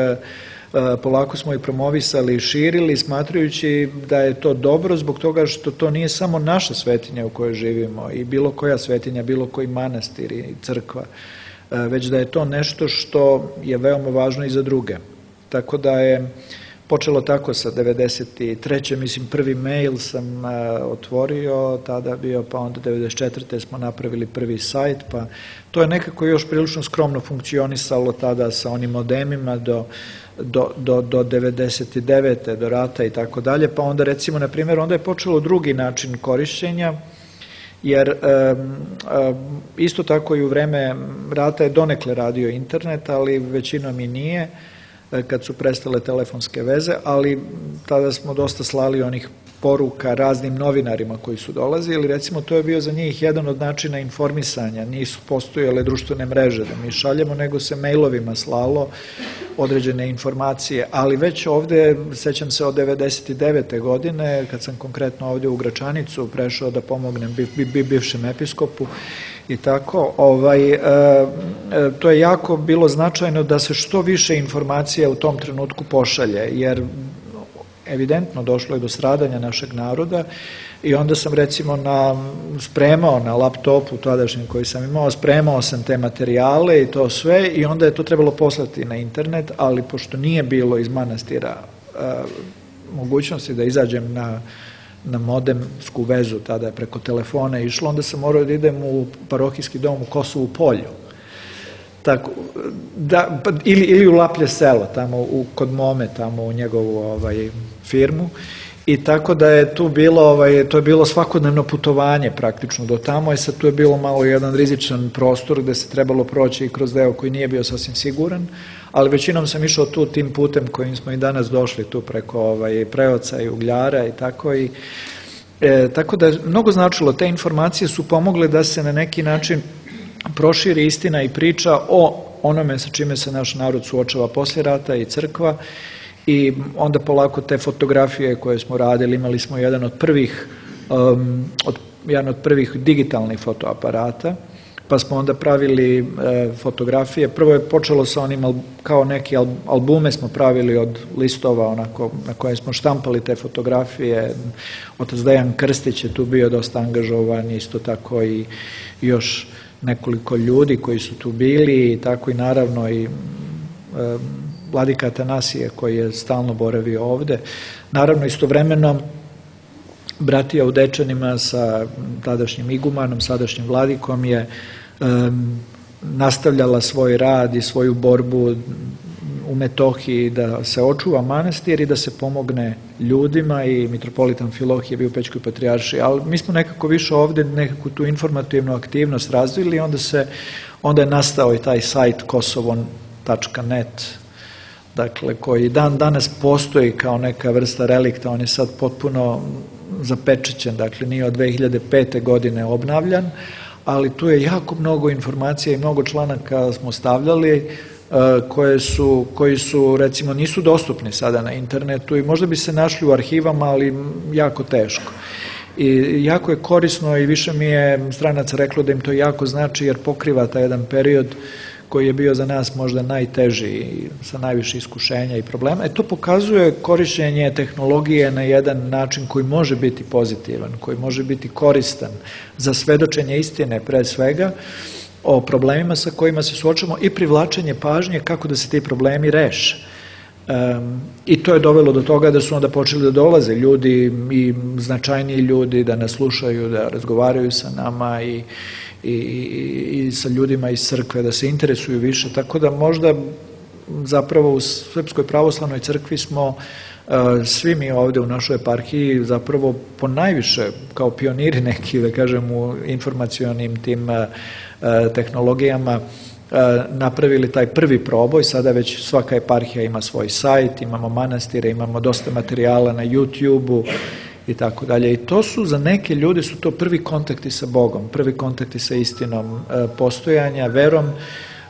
polako smo ih promovisali i širili, smatrajući da je to dobro zbog toga što to nije samo naša svetinja u kojoj živimo i bilo koja svetinja, bilo koji manastir i crkva, već da je to nešto što je veoma važno i za druge. Tako da je počelo tako sa devedeset treće mislim prvi mail sam otvorio, tada bio, pa onda devedeset četvrte smo napravili prvi sajt, pa to je nekako još prilično skromno funkcionisalo tada sa onim modemima do Do, do, do devedeset devete do rata i tako dalje, pa onda recimo, na primjer, onda je počelo drugi način korišćenja, jer e, e, isto tako i u vreme rata je donekle radio internet, ali većinom i nije, e, kad su prestale telefonske veze, ali tada smo dosta slali onih poruka raznim novinarima koji su dolazili, recimo to je bio za njih jedan od načina informisanja, nisu postojale društvene mreže da mi šaljemo, nego se mailovima slalo određene informacije, ali već ovde, sećam se od devedeset devete godine, kad sam konkretno ovde u Gračanicu prešao da pomognem bi, bi, bivšem episkopu i tako, ovaj, e, e, to je jako bilo značajno da se što više informacija u tom trenutku pošalje, jer evidentno došlo je do stradanja našeg naroda i onda sam recimo na, spremao na laptopu tadašnjem koji sam imao, spremao sam te materijale i to sve i onda je to trebalo poslati na internet, ali pošto nije bilo iz manastira a, mogućnosti da izađem na, na modemsku vezu, tada je preko telefona išlo, onda sam morao da idem u parohijski dom u Kosovu Polju. Tako, da, ili, ili u Laplje selo, tamo u, kod Mome, tamo u njegovu ovaj, firmu, i tako da je tu bilo, ovaj, to je bilo svakodnevno putovanje praktično do tamo, i sad tu je bilo malo jedan rizičan prostor gde se trebalo proći i kroz deo koji nije bio sasvim siguran, ali većinom sam išao tu tim putem kojim smo i danas došli, tu preko ovaj, Preoca i Ugljara i tako, i e, tako da je mnogo značilo, te informacije su pomogle da se na neki način proširi istina i priča o onome sa čime se naš narod suočava poslije rata i crkva, i onda polako te fotografije koje smo radili, imali smo jedan od prvih um, od, jedan od prvih digitalnih fotoaparata, pa smo onda pravili e, fotografije. Prvo je počelo sa onim, kao neki albume smo pravili od listova onako, na koje smo štampali te fotografije. Otac Dejan Krstić je tu bio dosta angažovan, isto tako i još nekoliko ljudi koji su tu bili, i tako i naravno i e, vladika Atanasije koji je stalno boravio ovde. Naravno, istovremeno bratija u Dečanima sa tadašnjim igumanom, sadašnjim vladikom je um, nastavljala svoj rad i svoju borbu u Metohiji da se očuva manastir i da se pomogne ljudima, i mitropolit Amfilohije je bio u Pećkoj patrijaršiji, ali mi smo nekako više ovde nekako tu informativnu aktivnost razvili, i onda, se, onda je nastao i taj sajt kosovon tačka net, dakle, koji dan danas postoji kao neka vrsta relikta, on je sad potpuno zapečećen, dakle nije od dve hiljade pete godine obnavljan, ali tu je jako mnogo informacija i mnogo članaka smo stavljali koje su, koji su recimo nisu dostupni sada na internetu i možda bi se našli u arhivama, ali jako teško. I jako je korisno, i više mi je stranaca reklo da im to jako znači, jer pokriva taj jedan period koji je bio za nas možda najteži i sa najviše iskušenja i problema. E to pokazuje korišćenje tehnologije na jedan način koji može biti pozitivan, koji može biti koristan za svedočenje istine pre svega o problemima sa kojima se suočavamo i privlačenje pažnje kako da se ti problemi reše. Um, I to je dovelo do toga da su onda počeli da dolaze ljudi, i značajniji ljudi, da nas slušaju, da razgovaraju sa nama i I, i, i sa ljudima iz crkve, da se interesuju više, tako da možda zapravo u Srpskoj pravoslavnoj crkvi smo uh, svi mi ovde u našoj eparhiji zapravo po najviše kao pioniri neki, da kažem, u informacionim tim uh, tehnologijama uh, napravili taj prvi proboj. Sada već svaka eparhija ima svoj sajt, imamo manastire, imamo dosta materijala na YouTube-u, i tako dalje. I to su za neke ljude su to prvi kontakti sa Bogom, prvi kontakti sa istinom postojanja, verom.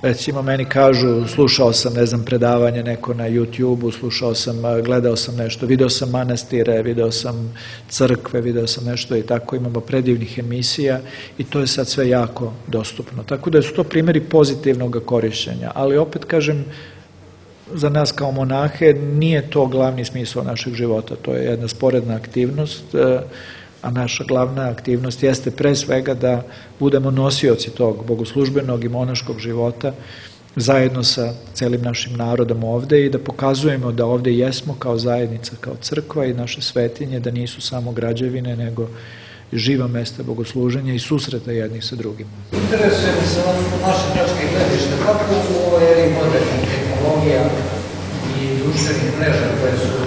Recimo meni kažu, slušao sam, ne znam, predavanje neko na YouTube-u, slušao sam, gledao sam nešto, video sam manastire, video sam crkve, video sam nešto i tako, imamo predivnih emisija i to je sad sve jako dostupno. Tako da su to primjeri pozitivnog korišćenja, ali opet kažem, za nas kao monahe nije to glavni smisao našeg života, to je jedna sporedna aktivnost, a naša glavna aktivnost jeste pre svega da budemo nosioci tog bogoslužbenog i monaškog života zajedno sa celim našim narodom ovde i da pokazujemo da ovde jesmo kao zajednica, kao crkva i naše svetinje, da nisu samo građevine, nego živa mesta bogosluženja i susreta jednih sa drugim. Interesuje mi se naše tačke gledište, kako u ovoj eri modernih tehnologija i društvenih mreža koje su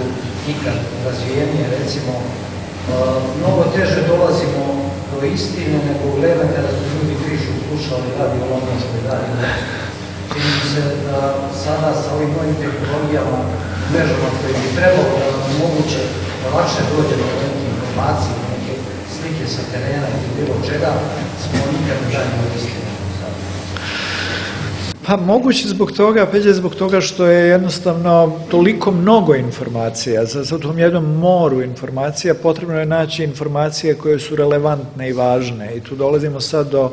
nikad razvijenije, recimo, mnogo teže dolazimo do istine nego u vreme kada su ljudi pišu, slušali radio londonskoj radio. Čini mi se da sada sa ovim novim tehnologijama, mrežama koje bi trebalo da nam moguće da lakše dođe do neke informacije, neke slike sa terena ili bilo čega, smo nikad ne dalje od istine. Pa moguće zbog toga, opet je zbog toga što je jednostavno toliko mnogo informacija, za u tom jednom moru informacija potrebno je naći informacije koje su relevantne i važne i tu dolazimo sad do,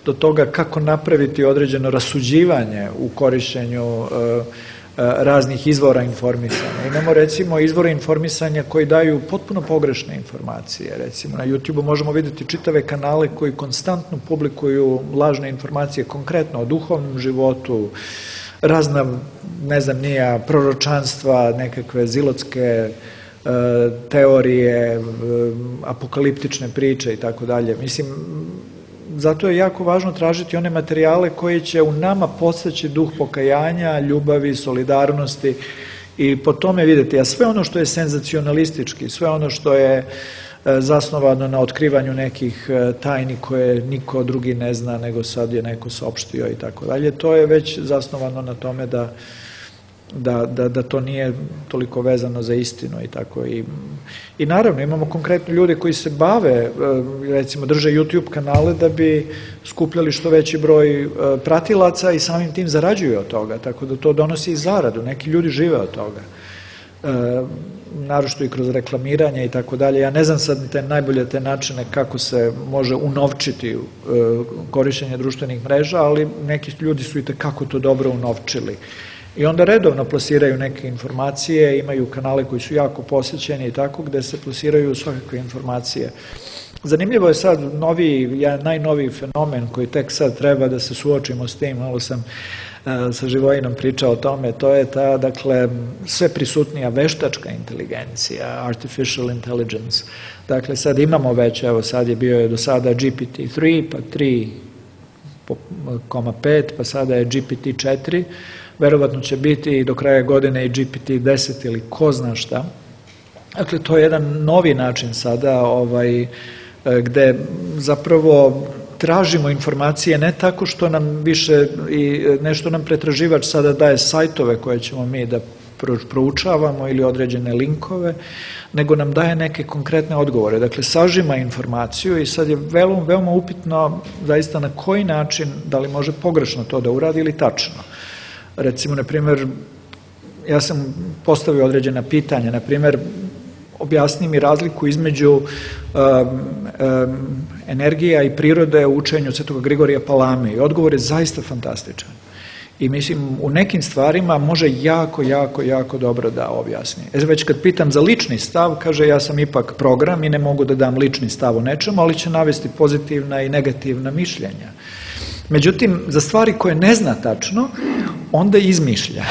do toga kako napraviti određeno rasuđivanje u korišćenju uh, raznih izvora informisanja. Imamo recimo izvore informisanja koji daju potpuno pogrešne informacije. Recimo na YouTube-u možemo vidjeti čitave kanale koji konstantno publikuju lažne informacije konkretno o duhovnom životu, razna, ne znam, nija proročanstva, nekakve zilotske uh, teorije, uh, apokaliptične priče i tako dalje. Mislim, zato je jako važno tražiti one materijale koji će u nama podstaći duh pokajanja, ljubavi, solidarnosti i po tome vidjeti, a sve ono što je senzacionalistički, sve ono što je zasnovano na otkrivanju nekih tajni koje niko drugi ne zna nego sad je neko saopštio i tako dalje, to je već zasnovano na tome da Da, da, da to nije toliko vezano za istinu i tako. I, i naravno imamo konkretno ljude koji se bave, recimo drže YouTube kanale da bi skupljali što veći broj pratilaca i samim tim zarađuju od toga, tako da to donosi i zaradu, neki ljudi žive od toga. E, naročito i kroz reklamiranje i tako dalje. Ja ne znam sad te najbolje te načine kako se može unovčiti e, korišćenje društvenih mreža, ali neki ljudi su i tekako to dobro unovčili. I onda redovno plasiraju neke informacije, imaju kanale koji su jako posjećeni i tako, gde se plasiraju svakakve informacije. Zanimljivo je sad novi, ja, najnoviji fenomen koji tek sad treba da se suočimo s tim, malo sam uh, sa Živojinom pričao o tome, to je ta, dakle, sve prisutnija veštačka inteligencija, artificial intelligence. Dakle, sad imamo već, evo sad je bio je do sada G P T tri, pa tri koma pet, pa sada je G P T četiri, verovatno će biti do kraja godine i G P T deset ili ko zna šta. Dakle, to je jedan novi način sada ovaj, gde zapravo tražimo informacije ne tako što nam više i nešto nam pretraživač sada daje sajtove koje ćemo mi da proučavamo ili određene linkove, nego nam daje neke konkretne odgovore. Dakle, sažima informaciju i sad je veoma, veoma upitno zaista na koji način, da li može pogrešno to da uradi ili tačno. Recimo, na primjer, ja sam postavio određena pitanja, na primjer, objasni mi razliku između um, um, energija i prirode u učenju Svetog Grigorija Palame i odgovor je zaista fantastičan. I mislim, u nekim stvarima može jako, jako, jako dobro da objasni. E, već kad pitam za lični stav, kaže ja sam ipak program i ne mogu da dam lični stav o nečemu, ali će navesti pozitivna i negativna mišljenja. Međutim, za stvari koje ne zna tačno, onda izmišlja.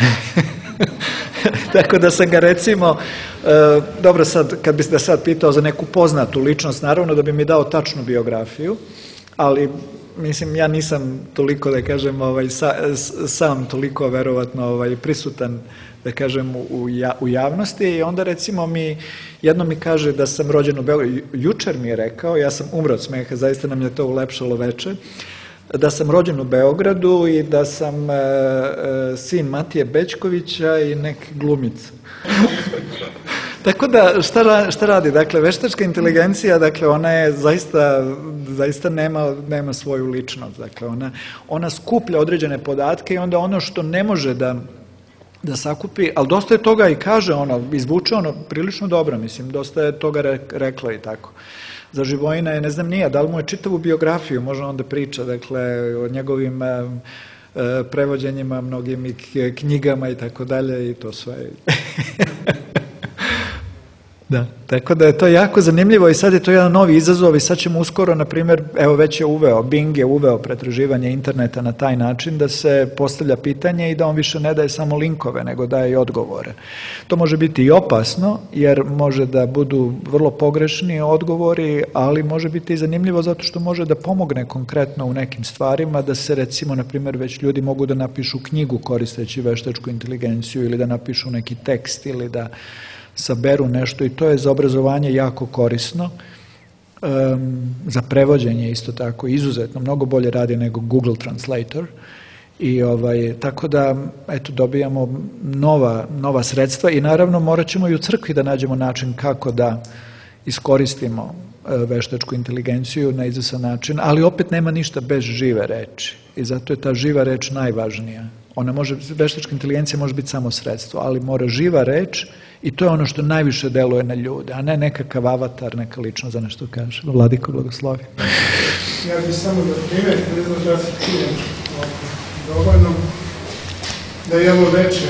Tako da sam ga recimo, e, dobro sad, kad bih da sad pitao za neku poznatu ličnost, naravno da bi mi dao tačnu biografiju, ali mislim, ja nisam toliko, da kažem, ovaj, sa, sam toliko verovatno ovaj, prisutan, da kažem, u, ja, u javnosti i onda recimo mi, jedno mi kaže da sam rođen u Beogradu, jučer mi je rekao, ja sam umro od smeha, zaista nam je to ulepšalo veče, da sam rođen u Beogradu i da sam e, e, sin Matije Bećkovića i neke glumice. Tako da, šta, ra, šta radi? Dakle, veštačka inteligencija, dakle, ona je zaista, zaista nema, nema svoju ličnost. Dakle, ona, ona skuplja određene podatke i onda ono što ne može da, da sakupi, ali dosta je toga i kaže, ono, izvuče ono prilično dobro, mislim, dosta je toga re, rekla i tako. Za Živojina je, ne znam nije, da li mu je čitavu biografiju, može on da priča, dakle, o njegovim e, prevođenjima, mnogim i knjigama i tako dalje i to sve. Da, tako da je to jako zanimljivo i sad je to jedan novi izazov i sad ćemo uskoro, na primjer, evo već je uveo, Bing je uveo pretraživanje interneta na taj način da se postavlja pitanje i da on više ne daje samo linkove, nego daje i odgovore. To može biti i opasno, jer može da budu vrlo pogrešni odgovori, ali može biti i zanimljivo zato što može da pomogne konkretno u nekim stvarima, da se recimo, na primjer, već ljudi mogu da napišu knjigu koristeći veštačku inteligenciju ili da napišu neki tekst ili da saberu nešto i to je za obrazovanje jako korisno, um, za prevođenje isto tako izuzetno, mnogo bolje radi nego Google Translator i ovaj, tako da eto dobijamo nova, nova sredstva i naravno morat ćemo i u crkvi da nađemo način kako da iskoristimo veštačku inteligenciju na izvestan način, ali opet nema ništa bez žive reči i zato je ta živa reč najvažnija. Ona može, veštačka inteligencija može biti samo sredstvo, ali mora živa reč i to je ono što najviše deluje na ljude, a ne nekakav avatar, neka ličnost za nešto kaže. Vladiko, blagoslovi. Ja bih samo da primjer, ne znam da se čujem dovoljno, da je ovo veče,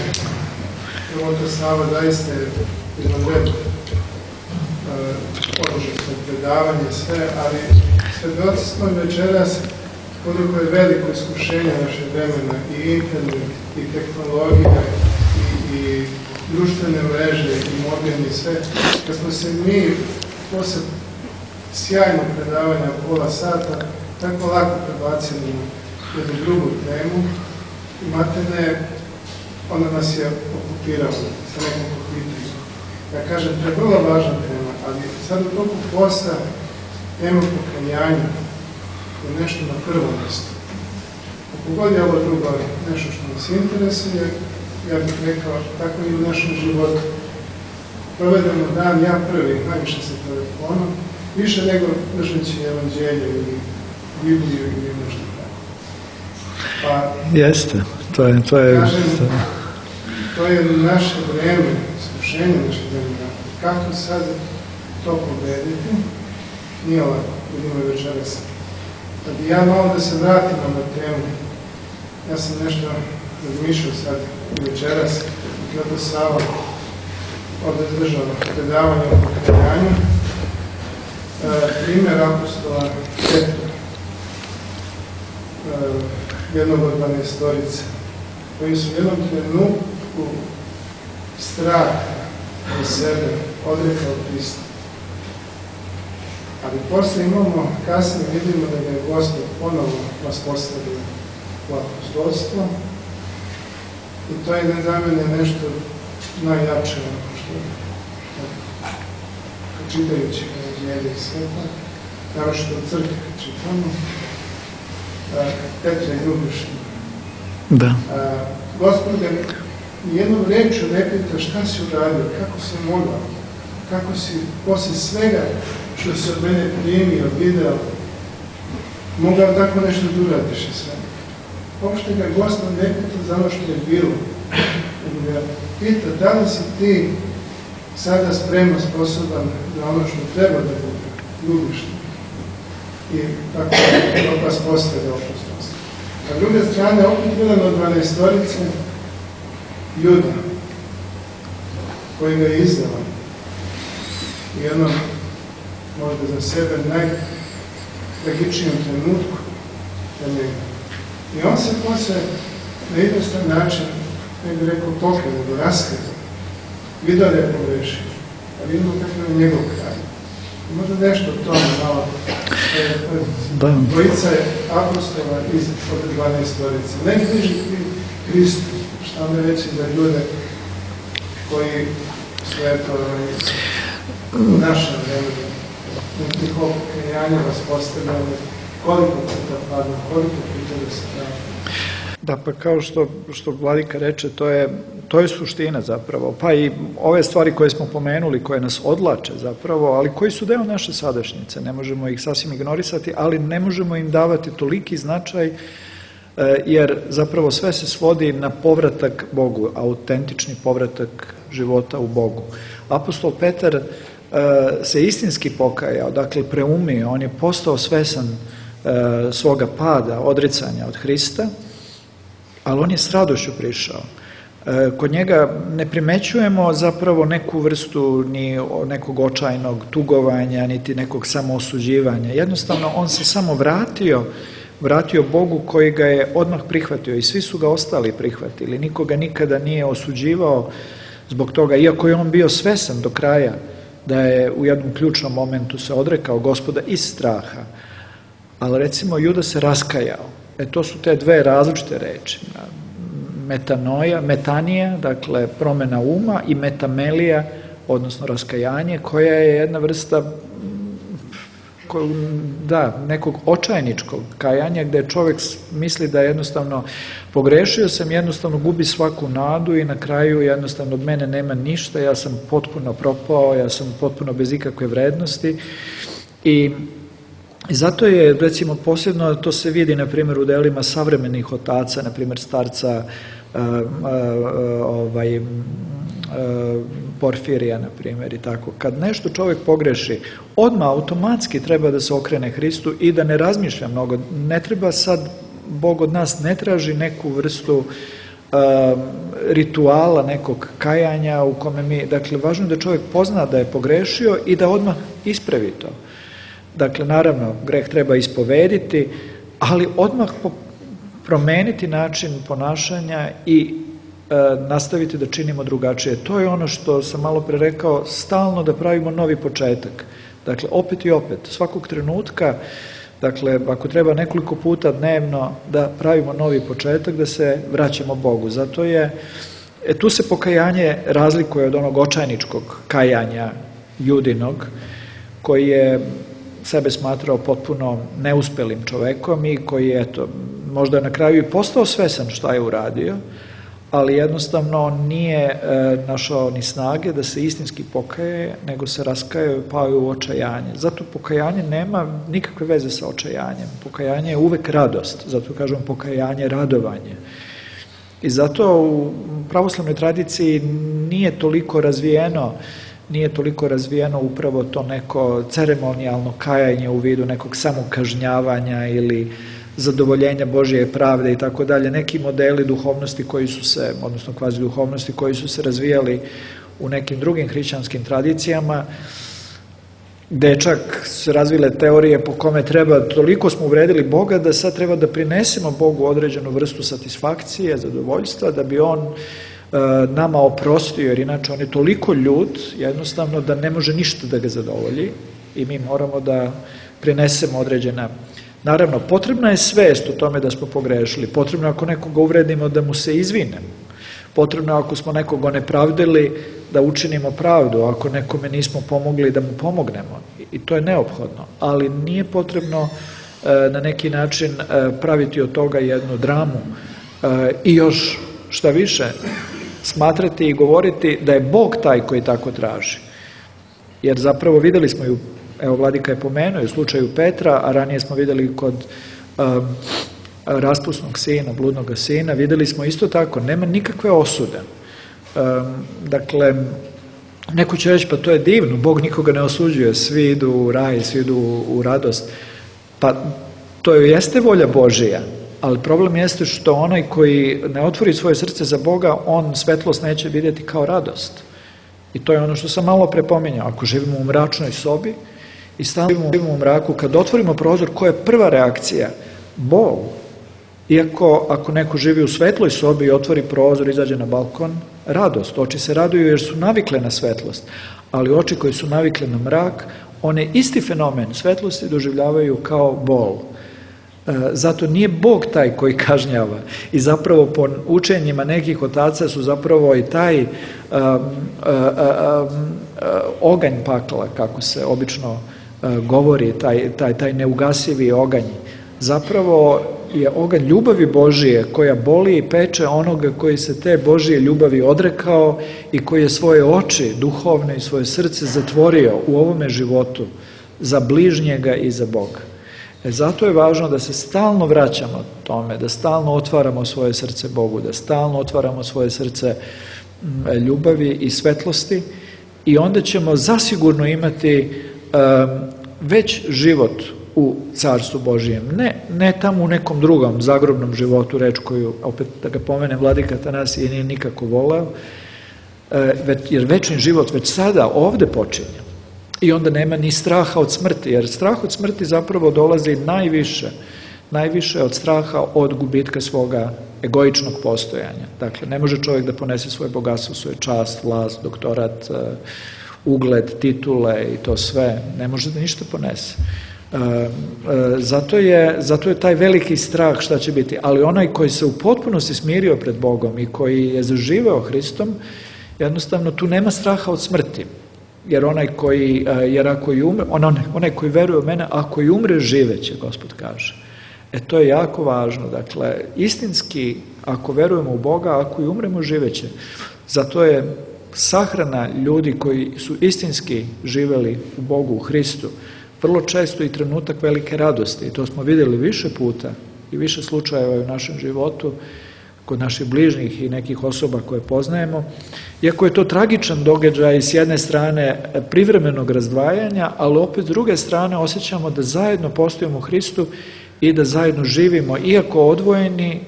evo to Sava zaista je jedan red odloženo predavanje, sve, ali svedoci smo večeras koliko je veliko iskušenje naše vremena i internet, i tehnologija, i, i društvene mreže, i mobilni i sve. Kad smo se mi posle sjajnog predavanja pola sata tako lako prebacili na jednu drugu temu i materne, ona nas je okupirala sa nekoliko pitanja. Ja kažem, to je vrlo važna tema, ali sad u toku posla tema pokajanja je nešto na prvom mjestu. Ako god je ovo drugo nešto što nas interesuje, ja bih rekao, tako i u našem životu. Provedemo dan, ja prvi, najviše sa telefonom, više nego držeći evanđelje ili Bibliju ili nešto tako. Pa, jeste, to je... To je, kažem, to je naše vreme, iskušenje naše vremena. Kako sad to pobediti? Nije lako, vidimo večeras. Da bi ja malo da se vratim na temu, ja sam nešto razmišljao sad večeras, kako Sava ovdje držao predavanje o pokajanju. E, primjer apostola Petra, e, jednog od dvanaestorice, koji su u jednom trenutku strah za sebe odrekao Hrista. Ali posle imamo, kasnije vidimo da je Gospod ponovo nas postavio u apostolstvo i to je za mene nešto najjače, što čitajući evanđelje i sveta, naročito u crkvi kad čitamo, Petra je ljubišna. Da. Gospod ga jednom rečju ne pita šta si uradio, kako si mogao, kako si posle svega što se od mene primio, video, mogao tako nešto da uradiš i sve. Uopšte ga Gospod ne pita za ono što je bilo. Nego ga pita da li si ti sada spremno sposoban za ono što treba da bude, ljubiš te. I tako da vas postaje apostolstvo. A druge strane, opet jedan od dvanaestorice Juda, koji ga je izdao. I ono, možda za sebe, najtragičnijem trenutku za njega. I on se posle na jednostavan način, ne bih rekao pokrije, nego raskazao. Vidio da je pogrešio. A vidimo kako je njegov kraj. I možda nešto o tome malo. Dvojica je apostola iz od dvanaestorice. Najbliži Hristu. Šta me reći za ljude koji su eto u našem vremenu njihovo pokajanje vas postavljali, koliko puta padno, koliko puta da se pravi. Da, pa kao što, što Vladika reče, to je, to je suština zapravo, pa i ove stvari koje smo pomenuli, koje nas odlače zapravo, ali koji su deo naše sadašnjice, ne možemo ih sasvim ignorisati, ali ne možemo im davati toliki značaj, jer zapravo sve se svodi na povratak Bogu, autentični povratak života u Bogu. Apostol Petar se istinski pokajao, dakle preumio, on je postao svesan svoga pada, odricanja od Hrista, ali on je s radošću prišao. Kod njega ne primećujemo zapravo neku vrstu ni nekog očajnog tugovanja, niti nekog samoosuđivanja. Jednostavno, on se samo vratio, vratio Bogu koji ga je odmah prihvatio i svi su ga ostali prihvatili. Nikoga nikada nije osuđivao zbog toga, iako je on bio svesan do kraja da je u jednom ključnom momentu se odrekao Gospoda iz straha. Ali recimo Juda se raskajao. E to su te dve različite reči. Metanoja, metanija, dakle promjena uma, i metamelija, odnosno raskajanje, koja je jedna vrsta da, nekog očajničkog kajanja, gde čovjek misli da jednostavno pogrešio sam, jednostavno gubi svaku nadu i na kraju jednostavno od mene nema ništa, ja sam potpuno propao, ja sam potpuno bez ikakve vrednosti. I I zato je, recimo, posebno to se vidi, na primjer, u delima savremenih otaca, na primjer, starca uh, uh, ovaj, uh, Porfirija, na primjer, i tako. Kad nešto čovjek pogreši, odmah automatski treba da se okrene Hristu i da ne razmišlja mnogo. Ne treba sad, Bog od nas ne traži neku vrstu uh, rituala, nekog kajanja u kome mi, dakle, važno je da čovjek pozna da je pogrešio i da odmah ispravi to. Dakle, naravno, greh treba ispovediti, ali odmah promeniti način ponašanja i e, nastaviti da činimo drugačije. To je ono što sam malo pre rekao, stalno da pravimo novi početak. Dakle, opet i opet, svakog trenutka, dakle, ako treba nekoliko puta dnevno da pravimo novi početak, da se vraćamo Bogu. Zato je, e, tu se pokajanje razlikuje od onog očajničkog kajanja Judinog, koji je sebe smatrao potpuno neuspelim čovekom i koji je, eto, možda na kraju i postao svesan šta je uradio, ali jednostavno nije e, našao ni snage da se istinski pokaje, nego se raskajao i pao u očajanje. Zato pokajanje nema nikakve veze sa očajanjem. Pokajanje je uvek radost, zato kažem pokajanje, radovanje. I zato u pravoslavnoj tradiciji nije toliko razvijeno nije toliko razvijeno upravo to neko ceremonijalno kajanje u vidu nekog samokažnjavanja ili zadovoljenja Božje pravde i tako dalje. Neki modeli duhovnosti koji su se, odnosno kvazi duhovnosti koji su se razvijali u nekim drugim hrišćanskim tradicijama, gde čak se razvile teorije po kome treba, toliko smo uvredili Boga da sad treba da prinesemo Bogu određenu vrstu satisfakcije, zadovoljstva, da bi on nama oprostio, jer inače on je toliko ljut, jednostavno, da ne može ništa da ga zadovolji i mi moramo da prinesemo određena. Naravno, potrebna je svest o tome da smo pogrešili, potrebno je ako nekoga uvredimo da mu se izvinemo, potrebno je ako smo nekoga nepravdili da učinimo pravdu, ako nekome nismo pomogli da mu pomognemo, i to je neophodno, ali nije potrebno na neki način praviti od toga jednu dramu i još šta više, smatrati i govoriti da je Bog taj koji tako traži. Jer zapravo videli smo ju, evo Vladika je pomenuo u slučaju Petra, a ranije smo videli kod um, raspusnog sina, bludnog sina, videli smo isto tako, nema nikakve osude. Um, dakle, neko će reći, pa to je divno, Bog nikoga ne osuđuje, svi idu u raj, svi idu u radost. Pa to jeste volja Božija, ali problem jeste što onaj koji ne otvori svoje srce za Boga, on svetlost neće vidjeti kao radost. I to je ono što sam malo prepominjao. Ako živimo u mračnoj sobi i stalno živimo u mraku, kad otvorimo prozor, koja je prva reakcija? Bol. Iako ako neko živi u svetloj sobi i otvori prozor, izađe na balkon, radost. Oči se raduju jer su navikle na svetlost. Ali oči koje su navikle na mrak, one isti fenomen svetlosti doživljavaju kao bol. Zato nije Bog taj koji kažnjava i zapravo po učenjima nekih otaca su zapravo i taj um, um, um, oganj pakla, kako se obično uh, govori, taj, taj, taj neugasivi oganj, zapravo je oganj ljubavi Božije koja boli i peče onoga koji se te Božije ljubavi odrekao i koji je svoje oči duhovne i svoje srce zatvorio u ovome životu za bližnjega i za Boga. E, zato je važno da se stalno vraćamo tome, da stalno otvaramo svoje srce Bogu, da stalno otvaramo svoje srce ljubavi i svetlosti i onda ćemo zasigurno imati um, već život u Carstvu Božijem. Ne, ne tamo u nekom drugom zagrobnom životu, reč koju, opet da ga pomene Vladika Atanasije, nije nikako voleo, jer večni život već sada ovde počinje. I onda nema ni straha od smrti, jer strah od smrti zapravo dolazi najviše, najviše od straha od gubitka svoga egoičnog postojanja. Dakle, ne može čovjek da ponese svoje bogatstvo, svoju čast, vlast, doktorat, ugled, titule i to sve. Ne može da ništa ponese. Zato je, zato je taj veliki strah šta će biti, ali onaj koji se u potpunosti smirio pred Bogom i koji je zaživeo Hristom, jednostavno tu nema straha od smrti, jer onaj koji, jer ako i umre, on, onaj koji veruje u mene, ako i umre, živeće, Gospod kaže. E to je jako važno, dakle, istinski, ako verujemo u Boga, ako i umremo, živeće. Zato je sahrana ljudi koji su istinski živeli u Bogu, u Hristu, vrlo često i trenutak velike radosti. I to smo vidjeli više puta i više slučajeva u našem životu, kod naših bližnjih i nekih osoba koje poznajemo. Iako je to tragičan događaj s jedne strane privremenog razdvajanja, ali opet s druge strane osjećamo da zajedno postojimo u Hristu i da zajedno živimo. Iako odvojeni,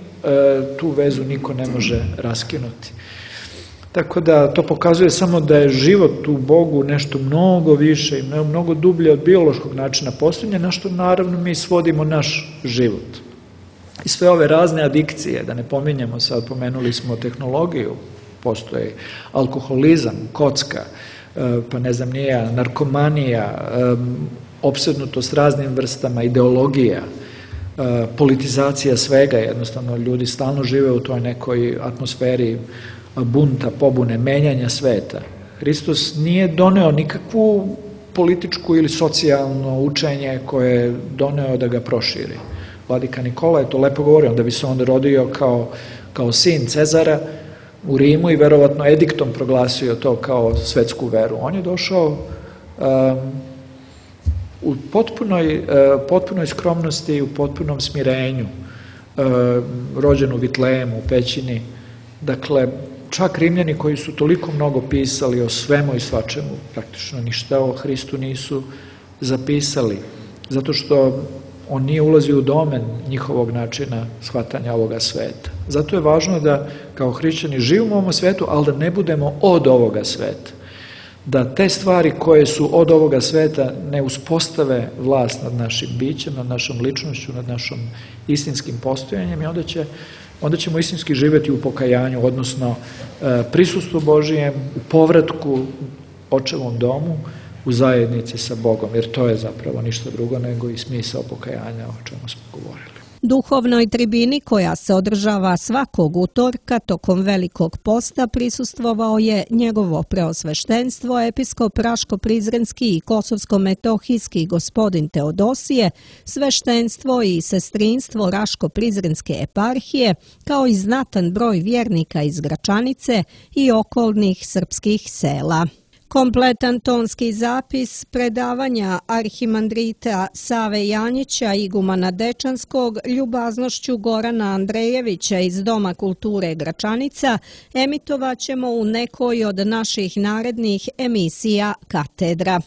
tu vezu niko ne može raskinuti. Tako da to pokazuje samo da je život u Bogu nešto mnogo više i mnogo dublje od biološkog načina postojanja, na što naravno mi svodimo naš život. I sve ove razne adikcije, da ne pominjemo sad, pomenuli smo tehnologiju, postoji alkoholizam, kocka, pa ne znam nije, narkomanija, opsednutost raznim vrstama ideologija, politizacija svega, jednostavno ljudi stalno žive u toj nekoj atmosferi bunta, pobune, menjanja sveta. Hristos nije doneo nikakvu političku ili socijalno učenje koje je doneo da ga proširi. Vladika Nikola je to lepo govorio, onda bi se on rodio kao, kao sin Cezara u Rimu i verovatno ediktom proglasio to kao svetsku veru. On je došao um, u potpunoj, uh, potpunoj skromnosti i u potpunom smirenju, uh, rođen u Vitlejemu, u pećini. Dakle, čak Rimljani koji su toliko mnogo pisali o svemu i svačemu, praktično ništa o Hristu nisu zapisali, zato što on nije ulazio u domen njihovog načina shvatanja ovoga sveta. Zato je važno da kao hrišćani živimo u ovom svetu, ali da ne budemo od ovoga sveta. Da te stvari koje su od ovoga sveta ne uspostave vlast nad našim bićem, nad našom ličnošću, nad našom istinskim postojanjem i onda će onda ćemo istinski živjeti u pokajanju, odnosno prisustvu Božijem, u povratku očevom domu, u zajednici sa Bogom, jer to je zapravo ništa drugo nego i smisao pokajanja o čemu smo govorili. Duhovnoj tribini koja se održava svakog utorka tokom Velikog posta prisustvovao je njegovo preosveštenstvo, episkop Raško-Prizrenski i Kosovsko-Metohijski gospodin Teodosije, sveštenstvo i sestrinstvo Raško-Prizrenske eparhije, kao i znatan broj vjernika iz Gračanice i okolnih srpskih sela. Kompletan tonski zapis predavanja arhimandrita Save Janjića, igumana Dečanskog, ljubaznošću Gorana Andrejevića iz Doma kulture Gračanica emitovaćemo u nekoj od naših narednih emisija Katedra.